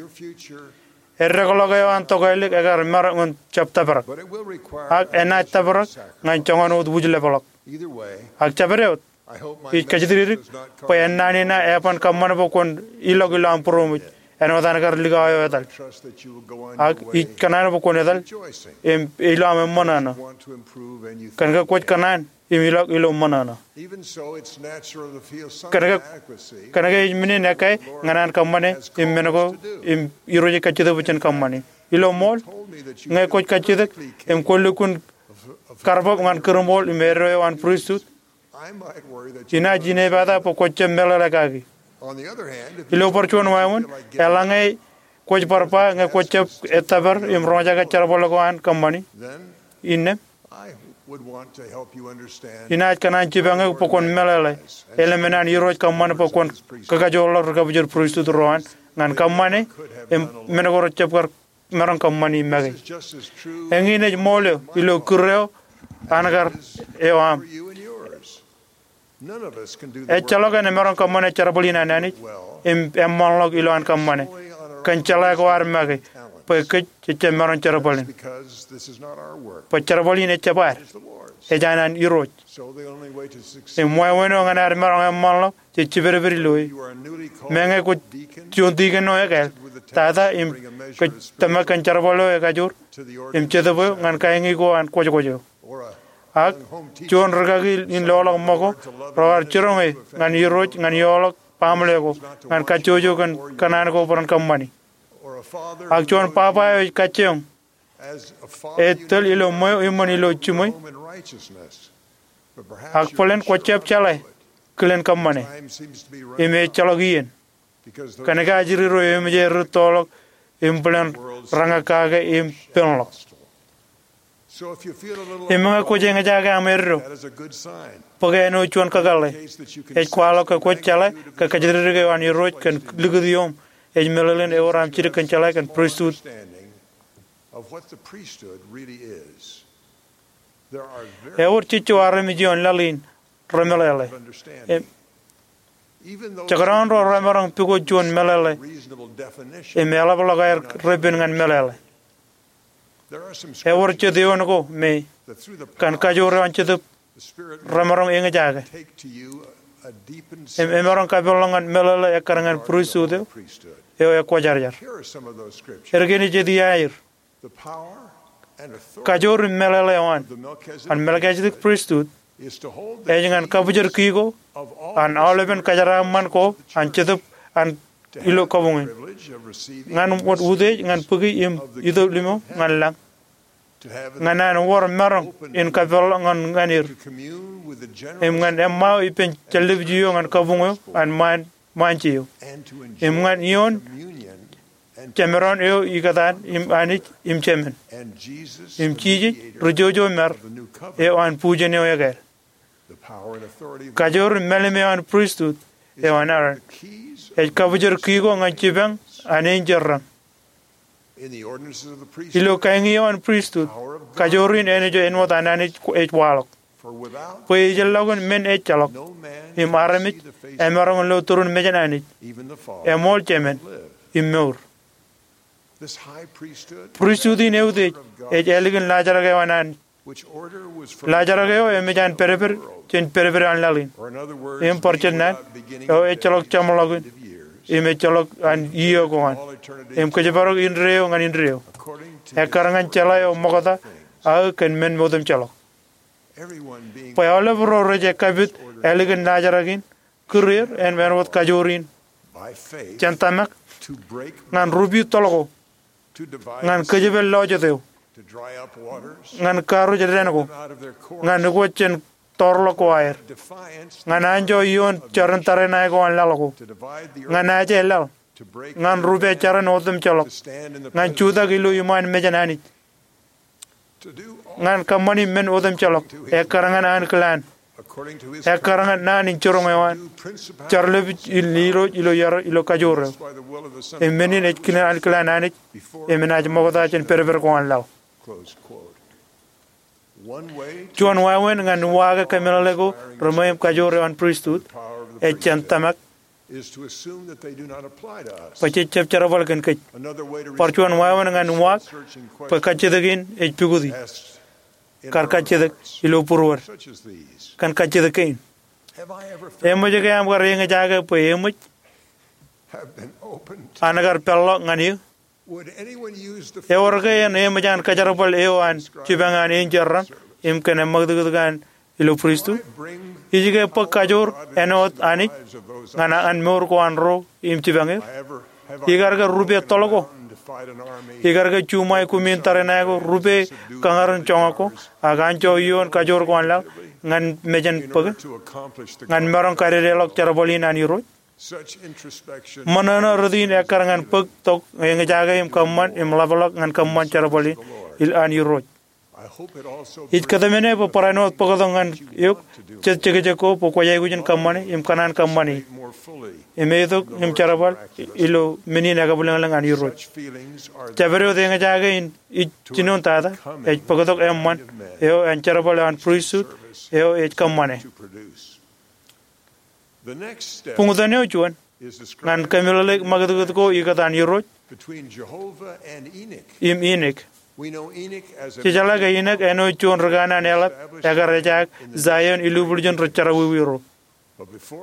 Eddekḷọk eo an tokālik ekar maroñ in jab tōprak, ak enaaj tōprak ñan joñan wōt wūjlepḷọk. Ak jabdewōt, ij kajjitōk bwe ennaan in eban kōṃṃan bwe kwōn ilọk ilo aṃ būroṃōj āinwōt an kar likao eo etal. Ak ij kōṇaan bwe kwōn etal im ilo aṃ eṃṃan ṇo, kōn ke kwōj kōṇaan im ilọk ilo ṃōṇōṇō. Kōn ke, kōn ke ej men in ekkā ñan an kōṃṃane im men ko im Irooj ej kajjitōk bwe jen kōṃṃane. Ilo ṃool, ñe kwōj kajjitōk im kwōn lukkuun karbab ñan kūrṃool im eddo eo an pristut, inaaj inepata bwe kwōj jab meḷeḷe kaki. Ilo bar juon wāween, eḷaññe kwōj bar ba ñe kwōj jab ettōpar im roñjake jerbal ko an kōṃṃani, innām inaaj kōṇaan jipañ eok bwe kwōn meḷeḷe eḷap men an Irooj kōṃṃan bwe kwōn kakajoorḷọk ri-kabwijed pristut ro an ñan kōṃṃane im men ko rej jab kar maroñ kōṃṃani make. Eñin ej ṃool eo ilo kūr eo an kar eo aṃ. Ejjeḷọk en emaroñ kōṃṃane jerbal in an Anij im eṃṃanḷọk ilo an kōṃṃane kōn jeḷā ko ad make, bwe kōj jejjab maroñ jerbal in. Bwe jerbal in ejjab ad, ej an an Irooj. Im wāween eo ñan ad maroñ eṃṃanḷọk je jipedped ilo e. Meñe kwōj juon tiken eo ekāāl, tata im kōj tōmak kōn jerbal eo ekajoor im jetōb eo ñan kaiñi ko an kwōjkwōj eo. Ak juon rikaki in loḷọk ṃōko, raar jiroñ e ñan Irooj ñan eoḷọk baaṃle ko, ñan kajjojo kōn kōṇaan ko bwe ren kōṃṃani. Ak juon baba eo ej kajjioñ, ej tōl ilo ṃweo iṃōn ilo jiṃwe. Ak bōlen kwōj jab jeḷā kilen kōṃṃane, im ejjeḷọk iien, kōn ke ajri ro eṃōj aer rūttoḷọk im bōlen rañōk kake im penḷọk. Im ñe kwōj eñjake aṃ eddo, bōk e āinwōt juon kakōḷḷe. Ej kwaḷọk ke kwōj jeḷā ke kajjitōk eo an Irooj kōn likūt ioṃ ej meḷeḷein ewōr aṃ jidik kōn jeḷā kōn pristut. Ewōr jejjo armej ioon laḷ in remeḷeḷe. Im jekdọọn ro remaroñ pukot juon meḷeḷe im eḷapḷọk aer repen ñan meḷeḷe. Ewōr jet eoon ko me, kōn kajoor eo an Jetōb, remaroñ eñjake im emaroñ kapeḷḷọk ñan meḷeḷe ekkar ñan pristut eo, eo ekwōjarjar. Erkein ej jet iaer. Kajoor im meḷeḷe eo an, an Melkisedek pristut, ej ñan kabwijed ki ko an aolepen kōjeraaṃṃan ko an Jetōb an ilo kabuñ in, ñan wōt utiej ñan bōki im itok limo ñan lañ, ñan an wōr maroñ in kapeḷḷọk ñan, ñan er, im ñan eṃṃao ippān jān-lipju eo ñan kabuñ eo an ṃaan ṃaanje eo, im ñan ioon jemdoon eo ikōtaan im Anij im Jemān, im Jisōs ri-jojo mar eo an bujen eo ekāāl. Kajoor im mālim eo an pristut eo an Aaron ej kabwijed ki ko ñan jipañ an enjeḷ raṇ. Ilo kaiñi eo an pristut, kajoor in āinwōt an Anij ej waḷọk. Bwe ejjeḷọkin men ejjeḷọk, im armej emaroñ in lo turin mejān Anij, eṃool Jemān, im mour. Pristut in eutiej ej ālikin laajrak eo an Anij. Laajrak eo emej an pedped jān pedped eo an laḷ in. Im bar jejjet naan, eo ejjeḷọk jeṃḷọkin, im ejjeḷọk an iiō ko an, im kōjparok indeeo ñan indeeo, ekkar ñan jeḷā eo ṃokta aō kōn men otemjeḷọk. Bwe aolep ro rej ekapit ālikin laajrak in, kūr er im āinwōt kajoor in jān tōmak, ñan rupi toḷ ko, ñan kōjepel lọjet eo, ñan karuj dān ko, ñan ukwōj jān toorḷọk ko aer, ñan anjọ ioon jarin tariṇae ko an laḷ ko, ñan aje laḷ, ñan rupe jarin otemjeḷọk, ñan jutak ilo iṃaan mejān Anij, ñan kōṃṃani men otemjeḷọk, ekkar ñan ankilaan, ekkar ñan naan in jiroñ eo an, jar lepij in Irooj ilo iar ilo kajoor eo. Im men in ej kile ankilaan Anij, im enaaj ṃokta jān pedped ko an laḷ. Juon wāween ñan uwaake kōmeḷeḷe ko reṃweiṃ kajoor eo an pristut, ej jān tōmak, bwe jej jab jerbal kōn kōj. Bar juon wāween ñan uwaak bwe kajjitōk in ej pukoti. Kar kajjitōk ilo būruod kōn kajjitōk kein. Eṃōj ke aṃ kar eñjake bwe eṃōj an kar peḷḷọk ñan eō? Ewōr ke en eṃōj an kōjerbal eo an jipañ an enjeḷ raṇ im kōn eṃṃakūtkūt ko an ilo pristut? Ij ke bōk kajoor āinwōt Anij ñan an mour ko an ro im jipañ er? Ikar ke rupe toḷ ko? Ikar ke juṃae kumiin tariṇae ko, rupe kōñārin joñak ko, ak anjọ ioon kajoor ko an laḷ ñan mejān bōke, ñan maroñ kadedeḷọk jerbal in an Irooj? Ṃōṇōṇō rot in ekkar ñan bōk tok eñjake im kōṃṃan im ḷapḷọk ñan kōṃṃan jerbal in an Irooj. Ij kōtmāne bwe barāinwōt bōktok ñan eok jet jekjek ko bwe kwōj aikuj in kōṃṃane im kōṇaan kōṃṃane. Im eitok im jerbal ilo men in ekabwilōñlōñ an Irooj. Jabdewōt eñjake in ij jinoin tata ej bōktok eṃṃan eo an jerbal eo an pristut eo ej kōṃṃane. Buñtōn eo juon ñan kōmeḷeḷe ṃakūtkūt ko ikōtaan Irooj im Inik. Jejeḷā ke Inik āinwōt juon ri kanaan eḷap ekar ejaak Zaion ilubwiljin ri jerọwiwi ro.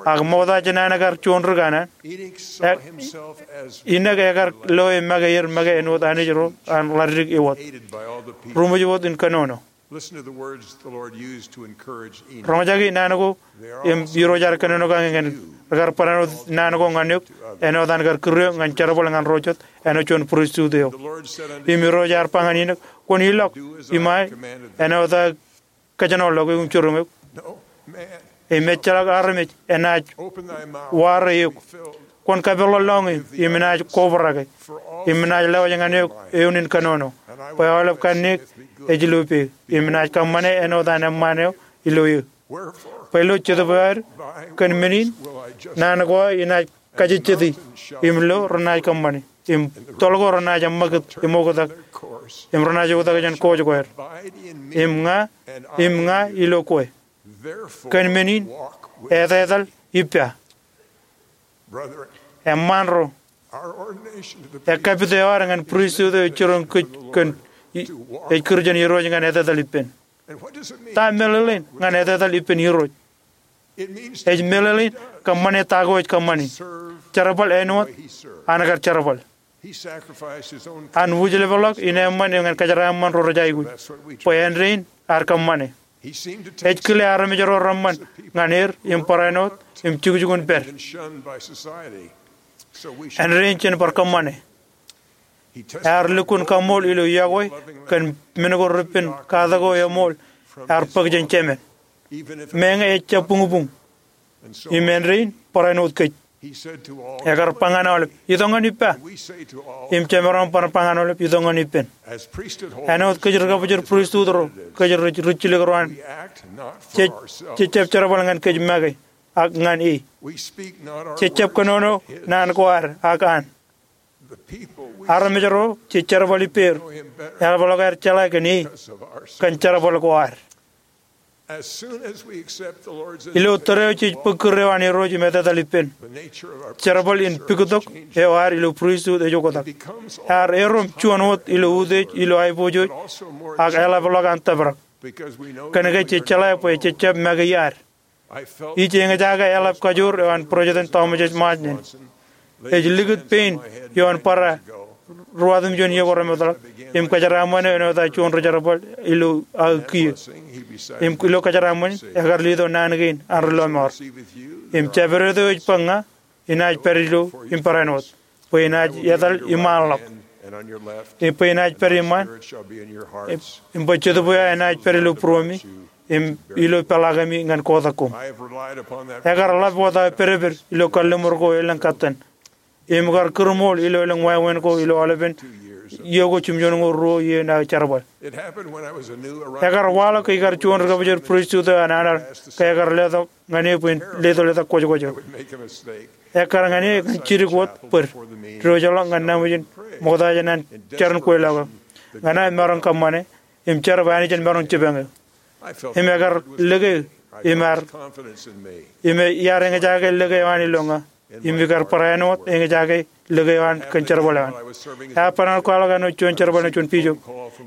Ak ṃokta jān an kar juon ri kanaan, Inik ekar loe make er make āinwōt anij ro an ḷaddik iwōt, ruṃwij wōt in kōnono. Roñjake naan ko im Irooj ear kōnono kake ñan, rekar barāinwōt naan ko ñan eok āinwōt an kar kūr eok ñan jerbal ñan ro jet āinwōt juon pristut eo. Im Irooj ear ba ñan Inik, kwōn ilọk iṃae āinwōt aō kōjenolọk eok im jiroñ eok. Im ejjeḷọk armej enaaj ware eok. Kwōn kapeḷḷọk lọñiō im enaaj kobrak e. Im enaaj lewōj ñan eok eoon in kōnono, bwe aolep kanniōk ej ilo peō. Im enaaj kōṃṃane āinwōt an eṃṃaan eo ilo eō. Bwe ilo jetōb eo aer, kōn men in naan ko aō enaaj kajejjeti, im lo renaaj kōṃṃane, im toḷ ko renaaj eṃṃakūt im oktak, im renaaj oktak jān kōj ko aer. Im ña, im ña ilo kwe. Kōn men in etetal ippa. Eṃṃaan ro, ekkapit eo ad ñan pristut eo ej jiroñ kōj kōn, ej kūr jān Irooj ñan etetal ippān. Ta meḷeḷein ñan etetal ippān Irooj? Ej meḷeḷein kōṃṃane ta ko ej kōṃṃane. Jerbal āinwōt an kar jerbal. An wūjlepḷọk in eṃṃan ñan kōjeraaṃṃan ro rej aikuj, bwe āindein ear kōṃṃane. Ej kile armej ro reṃṃan ñan er im barāinwōt im jukjukun pād. Āindein jen bar kōṃṃane. Ear lukkuun kaṃṃool ilo yokwe kōn men ko repen katak ko eṃool ear bōk jān Jemān, meñe ejjab buñbuñ. Im āindein barāinwōt kōj. Ekar ba ñan aolep, itok ñan ippa. Im jemaroñ bar ba ñan aolep, itok ñan ippān. Āinwōt kōj ri kabōjor pristut ro, kōj ri rijjilōk ro an, jej, jejjab jerbal ñan kōj make, ak ñan e. Jejjab kōnono naan ko ad ak an. Armej ro jej jerbal ippāer, eḷapḷọk aer jeḷā kōn e, kōn jerbal ko ad. Ilo tōre eo jej bōk kūr eo an Irooj im etetal ippān, jerbal in puktok eo ad ilo pristut ej oktak. Ear erom juon wōt ilo utiej, ilo aiboojoj, ak eḷapḷọk an tōprak. Kōnke jej jeḷā bwe jej jab make iaad. Ij eñjake eḷap kajoor eo an President Thomas S. Monson. Ej likūt pein ioon barāinwōt ruwatimjuon iiō ko remootḷọk im kōjeraaṃṃan āinwōt aō juon ri jerbal ilo aō kiiō. Im ilo kōjeraaṃṃan in, ekar letok naan kein an ri lọmọọr. Im jabdewōt eo ej bōk ña, enaaj pād ilo im barāinwōt, bwe enaaj etal iṃaanḷọk. Im bwe enaaj pād iṃaan. Im bwe jetōb eo enaaj pād ilo būruemi, im ilo peḷaakemi ñan kotak koṃ. Ekar ḷap wōt aō pedped ilo kalliṃur ko elōñ katten. Im kar kūrmool ilo elōñ wāween ko ilo aolepen iiō ko jimjuonñoul ruo iien aō jerbal. Ekar waḷọk ikar juon ri kabōjor pristut eo an Anarch ke ekar letok ñan e bwe in letok letok kwōjkwōj eo. Ekkar ñan e ñan jidik wōt bōd diwōjḷọk ñan naṃ ijin ṃokta jān an jar in kweilọk eo. Ña ij maroñ kōṃṃane im jar bwe Anij en maroñ jipañ eō. Im ekar lōke im ar im iar eñjake lōke eo an ilo ña. Im ikar barāinwōt eñjake lōke eo an kōn jerbal eo an. Ear barāinwōt kwaḷọk āinwōt juon jerbal eo juon bijo.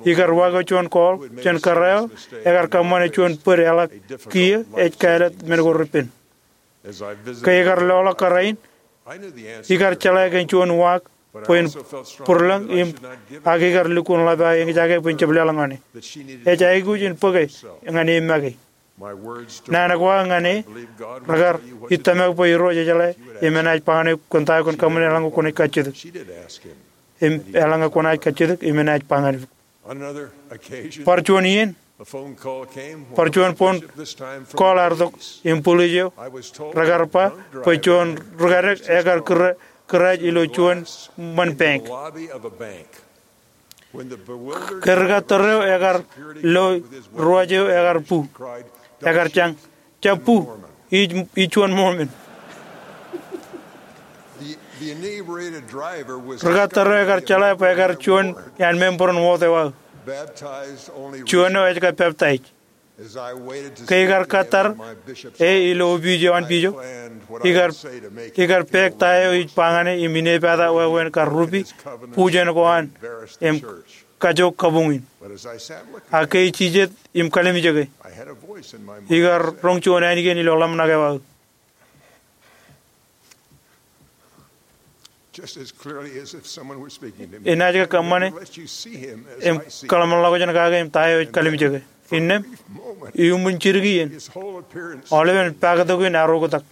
Ikar wa ko juon call jān kōrā eo ekar kōṃṃane juon bōd eḷap kiiō ej kāālōt men ko repen. Ke ikar loḷọk kōrā in, ikar jeḷā kōn juon waak bwe in būrlōñ im ak ikar lukkuun ḷap aō eñjake bwe in jab leḷọk ñan e. Ej aikuj in bōke ñan e make. Naan ko aō ñan e rekar ij tōmak bwe Irooj ejeḷā im enaaj ba ñan eok kōn ta eo kwōn kōṃṃane eḷaññe kwōnaaj kajjitōk. Im eḷaññe kwōnaaj kajjitōk im enaaj ba ñan eok. Bar juon iien, bar juon phone call ear tok im police eo rekar ba bwe juon ri kadek ekar kūr kūraaj ilo juon ṃōn bank. Ke ri kattōr eo ekar lo ruwaj eo ekar bu, ekar jañ, jab bu, ij, ij juon Mormon. Ri kattōr eo ekar jeḷā bwe ekar juon iaan member in wōt eo aō. Juon eo ej kab peptaij. Ke ikar kattōr e ilo opiij eo an bijo, ikar, ikar pād ta eo ij ba ñan e im inepata wāween kar rupi bujen ko an im kajook kabuñ in. Ak ke ij jijet im kalimjeke, ikar roñ juon ainikien ilo ḷōmṇak eo aō. Enaaj ke kōṃṃane im kōḷmānḷọkjeṇ kake im ta eo ej kalimjeke. Innām, iuṃwin jidik iien, aolepen paktok in ear oktak.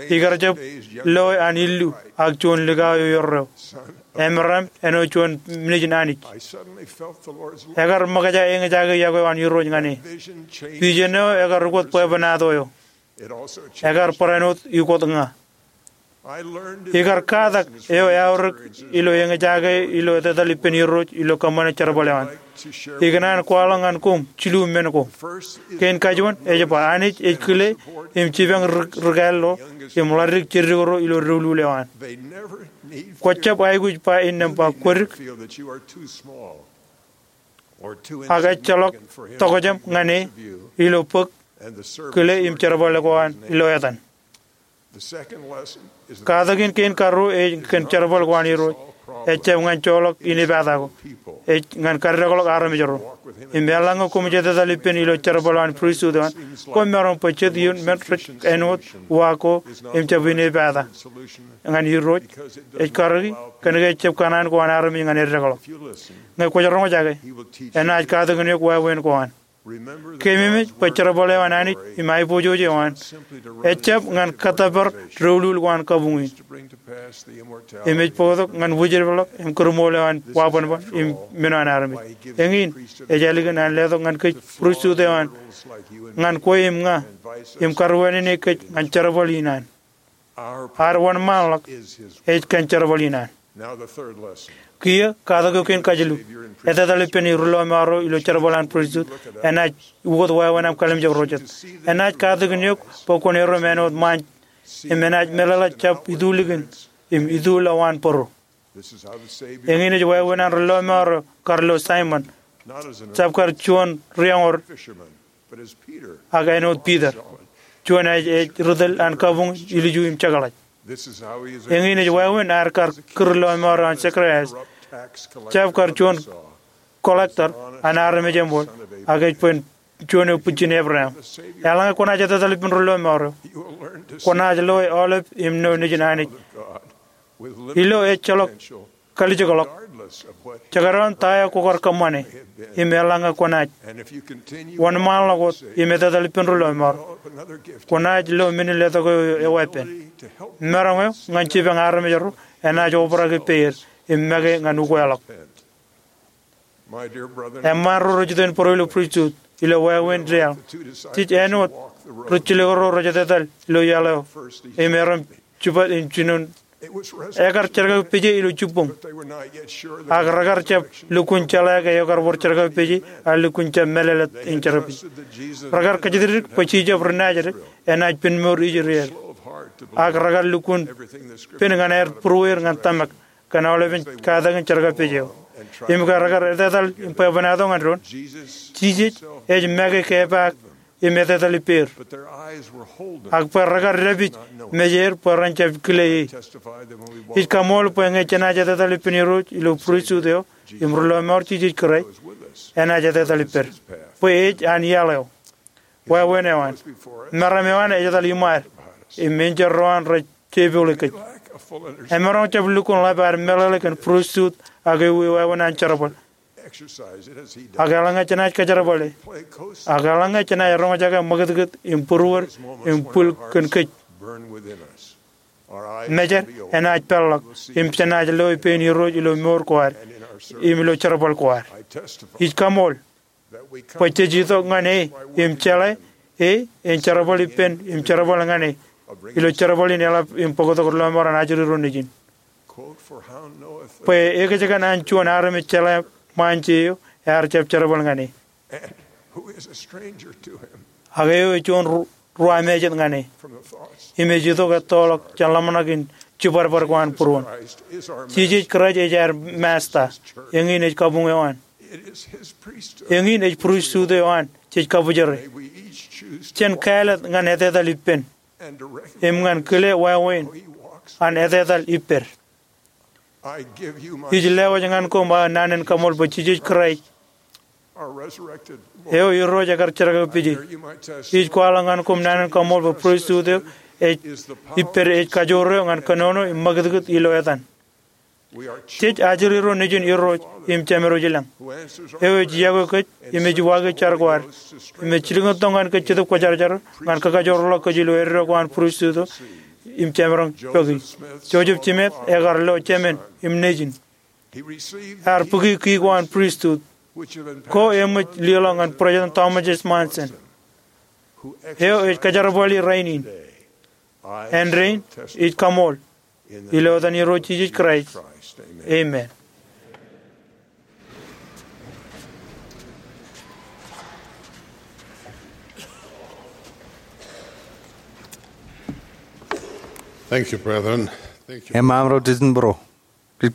Ikar jab loe an illu ak juon likao eo erreo. Amram āinwōt juon nejin Anij. Ekar ṃōkaj eñjake iọkwe eo an Irooj ñan e. Vision eo ekar ukōt bwebwenato eo. Ekar barāinwōt ukōt ña. Ikar katak eo eaorōk ilo eñjake ilo etetal ippān Irooj ilo kōṃṃane jerbal eo an. Ikōṇaan kwaḷọk ñan koṃ jilu men ko. Kein kajuon ej ba Anij ej kile im jipañ ri, ri kāāl ro im ḷadik jedik ro ilo doulul eo an. Kwōjab aikuj ba innām ba kwōdik ak ejjeḷọk tokjān ñan e ilo bōk kile im jerbal ko an ilo etan. Katakin kein karuo ej kōn jerbal ko an Irooj. Ejjab ñan joḷọk inepata ko. Ej ñan kaddekḷọk armej ro. Im eḷaññe koṃij etetal ippān ilo jerbal eo an pristut eo an, koṃ maroñ bwe jet ioon men rej āinwōt wa ko im jab inepata ñan Irooj. Ej karōki kōnke ejjab kōṇaan ko an armej ñan eddekḷọk. Ñe kwōj roñjake, enaaj katakin eok wāween ko an. Keememej bwe jerbal eo an Anij im aiboojoj eo an ejjab ñan kōttōpar doulul ko an kabuñ in. Im ej bōktok ñan wūjepḷọk im kūrmool eo an wabōnbōn im men eo an armej. Eñin, ej ālikin an letok ñan kōj pristut eo an ñan kwe im ña im karuwānāne kōj ñan jerbal in an. Ad wōnṃaanḷọk ej kōn jerbal in an. Kiiō, katak eo kein kajilu. Etetal ippān ri lọmọọr ro ilo jerbal an pristut enaaj ukōt wāween aṃ kalimjek ro jet. Enaaj katakin eok bwe kwōn erom āinwōt ṃaan im enaaj meḷeḷe jab itulikin im ituuḷ ḷọk an bōro. Eñin ej wāween an ri lọmọọr ro kar lo Saimōn, jab kar juon ri-eñor Ak āinwōt Piter, juon ej, ej ri tōl an kabuñ ilju im jekḷaj. Eñin ej wāween ad kar kūr lọmọọr eo an Zacharias, jab kar juon collector an armej eṃool, ak ej bwe en juon eo bwijin Ebream. Eḷaññe kwōnaaj etetal ippān ri lọmọọr eo, kwōnaaj loe aolep im ṇo nejin Anij ilo ejjeḷọk kalijekḷọk, jekdọọn ta eo kwō kar kōṃṃane im eḷaññe kwōnaaj wōnṃaanḷọk wōt im etetal ippān ri lọmọọr, kwōnaaj lo men in letok eo eweeppān. Maroñ eo ñan jipañ armej ro enaaj obrak ippāer im make ñan ukeḷọk. Eṃṃaan ro rej iten būruo ilo pristut ilo wāween deaḷ, jej āinwōt ri jilkinḷọk ro rej etetal ilo iaḷ eo im erom jibwāt im jinoin. Ekar jerkakpeje ilo jibboñ, ak rekar jab lukkuun jeḷā ke ekar wōr jerkakpeje, ak lukkuun jab mālōtlōt in jerkakpeje. Rekar kōjatdikdik bwe Jisōs ri Nazeret enaaj penmour ijin er, ak rekar lukkuun pen ñan aer būrueir ñan tōmak kōn aolepen katakin jerkakpeje eo. Im ke rekar etetal im bwebwenato ñan doon, Jisōs ej make kepaak im etetal ippāer. Ak bwe rekar dāpij mejeir bwe ren jab kile e. Ij kaṃool bwe ñe jenaaj etetal ippān Irooj ilo pristut eo im ri lọmọọr Jisōs Kraist, enaaj etetal ippād bwe ej an iaḷ eo. Wāween eo an, meram eo an ej etal iṃaad, im enjeḷ ro an rej jepooḷe kōj. Emaroñ jab lukkuun ḷap ad meḷeḷe kōn pristut ak ewi wāween an jerbal. Ak eḷaññe jenaaj kajerbale, ak eḷaññe jenaaj roñjake ṃakūtkūt im būruod im bwil kōn kōj, mejed enaaj peḷḷọk im jenaaj loe pein Irooj ilo mour ko ad im ilo jerbal ko ad. Ij kaṃool bwe jej itok ñan e im jeḷā e en jerbal ippān im jerbal ñan e ilo jerbal in eḷap im bōktok ri lọmọọr an ajri ro nejin. Bwe ekōjkan an juon armej jeḷā ṃaanje eo ear jab jerbal ñan e, ak eo ej juon ru-, ruwamājet ñan e, im ej itok ettoḷọk jān ḷōmṇak in jibadbad ko an būruon. Jisōs Kraist ej aer Masta. Eñin ej kabuñ eo an. Eñin ej pristut eo an jej kabōjere. Jen kāālōt ñan etetal ippān im ñan kile wāween an etetal ippād. Ij lewōj ñan koṃ aō naan in kaṃool bwe Jisōs Kraist eo Irooj ekar jerkakpeje. Ij kwaḷọk ñan koṃ naan in kaṃool bwe pristut eo ej ippād ej kajoor eo ñan kōnono im ṃakūtkūt ilo etan. Jej ajri ro nejin Irooj im Jemedwōj ilañ, eo ej yokwe kōj im ej waaki jar ko ad im ej jilkintok ñan kōj Jetōb Kwōjarjar ñan kakajoorḷọk kōj ilo eddo ko an pristut eo im jemaroñ pokij. Joseph Smith ekar lo jemān im nejin. Ear bōki ki ko an pristut ko eṃōj liḷọk ñan President Thomas S. Monson, eo ej kajerbali rainin. Āindein ij kaṃool ilo etan Irooj Jisōs Kraist. Amen. Thank you, brethren. Thank you. Eṃṃan ro jitōnbōro. Ij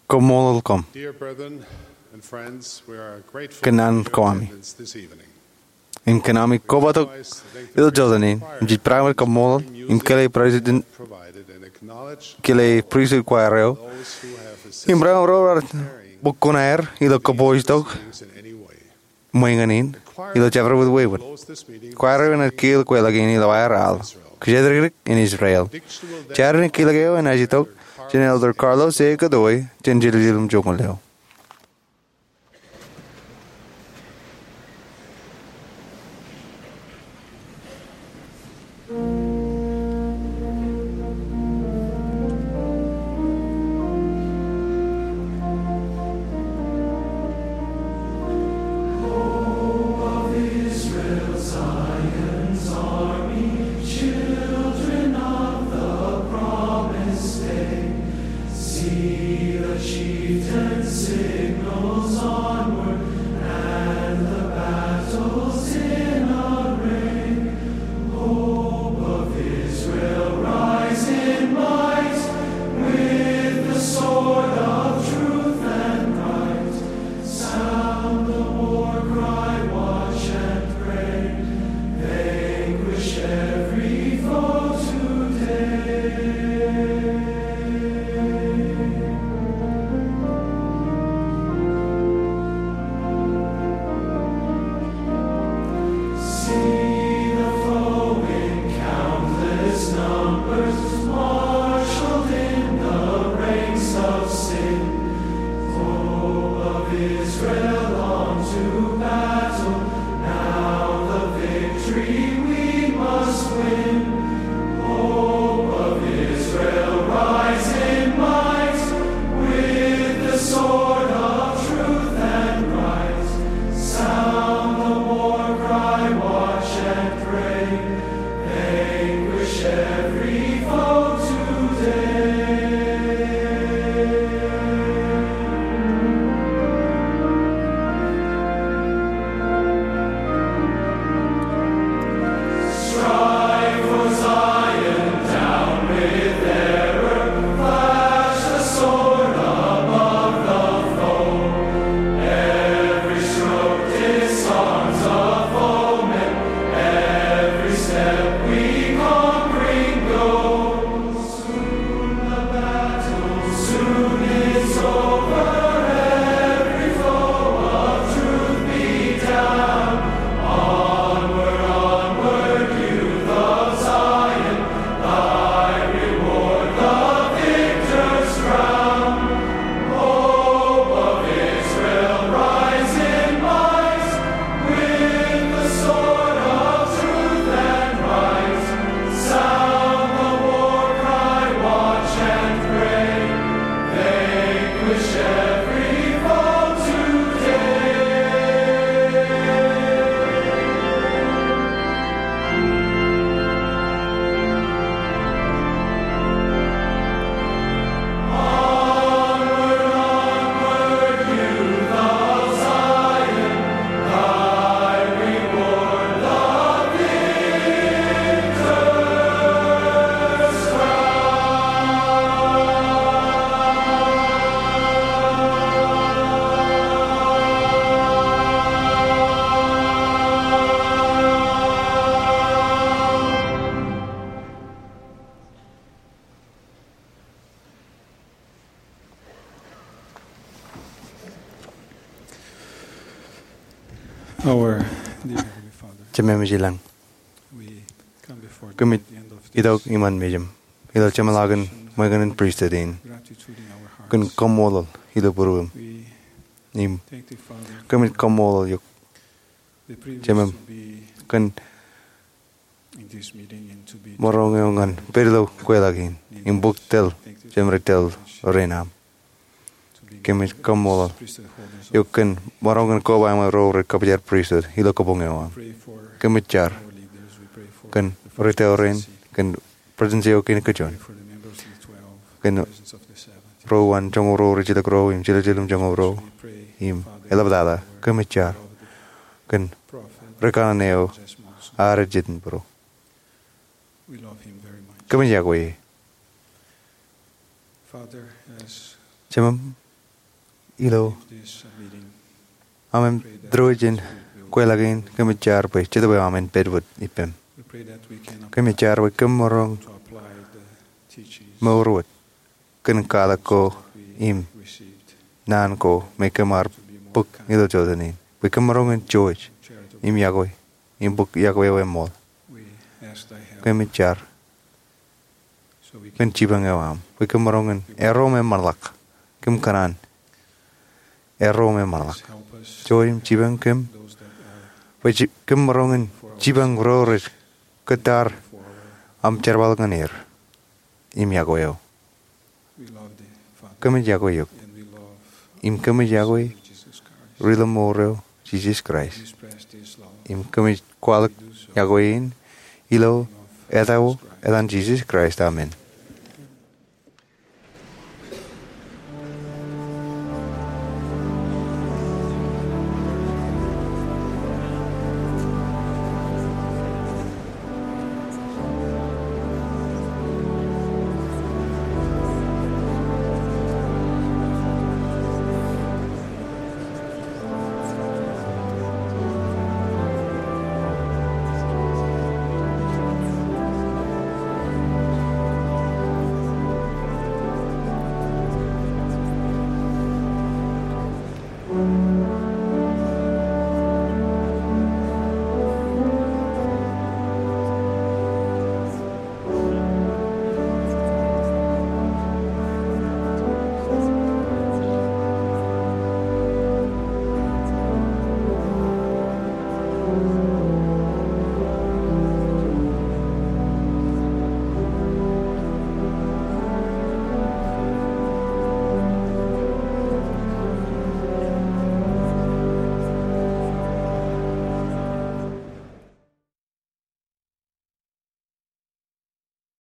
kaṃṃoolol koṃ. Dear brethren and friends, we are grateful for your attendance this evening. Kōn an kōṃṃani. Im kōn ami kobatok ilo jota in, im jej barāinwōt kaṃṃoolol im kile President, kile pristut choir eo im barāinwōt ro raar bōk kuṇaer ilo kapooj tok ṃweiñān in ilo jabdewōt wāween. Choir eo enaaj kiiō kweilọk in ilo aer al, Kōjatdikdik in Israel. Jar in kiiō eo enaaj itok jān Elder Carlos A. Godoy jān jiljilimjuonñoul eo. Marshaled in the ranks of sin, hope of Israel on to battle. Now the victory we must win. Hope of Israel, rise in might, with the sword of truth and right. Sound the war cry, watch and pray. Vanquish every foe today. Strive for Zion, down with error, flash the sword above the foe. Every stroke disarms a foeman, every step we conquering go. Soon the battle, soon it's over, every foe of truth be down. Onward, onward, youth of Zion, thy reward the victor's crown. Hope of Israel, rise in might, with the sword of truth and right. Sound the war cry, watch and pray. Vanquish every foe today. Our dear Heavenly Father, Jemem ej ilañ, we come before thee kōmij at the end of this ilo iṃaan mejān ilo jeṃḷọkin ṃweo in pristut in, gratitude in our hearts. Kōn kaṃṃoolol ilo būruōṃ. We Im thank thee, Father, kōmij kaṃṃoolol eok, the privilege Jemem, to be kōn in this meeting and to be maroñ eo ñan pād ilo kweilọk in im bōk tōl, Jemem, rej tōl rein aṃ. Kōmij kaṃṃoolol eok kōn maroñ kōn kobaṃ ro rej kōpoojar pristut ilo kabuñ eo aṃ. Kōmij jar kōn ri tōl rein, kōn Presidency eo kein kajjojo, kōn ro uwaan joñoul ruo rej jilkintok ro im jiljilimjuonñoul ro im eḷaptata. Kōmij jar kōn ri kanaan eo ad jet in būruō. Kōmij yokwe e. Jemem, ilo aṃ diwōj in kweilọk in, kōmij jar bwe Jetōb eo aṃ en pād wōt ippem. Kōmij jar bwe kōm maroñ mour wōt kōn kwaḷọk ko im naan ko me kōm ar bōk ilo jota in, bwe kōm maroñ in jouj im yokwe im bōk yokwe eo eṃṃool. Kōmij jar kōn jipañ eo aṃ bwe kōm maroñ in erro im eṃṃanḷọk. Kōm kōṇaan erro im eṃṃanḷọk. Jouj im jipañ kōm bwe kōm maroñ in jipañ ro rej kōttar aṃ jerbal ñan er im yokwe eo. Kōmij yokwe eok im kōmij yokwe Ri-lọmọọr eo, Jisōs Kraist. Im kōmij kwaḷọk yokwe in ilo etaṃ, etan Jisōs Kraist, amen.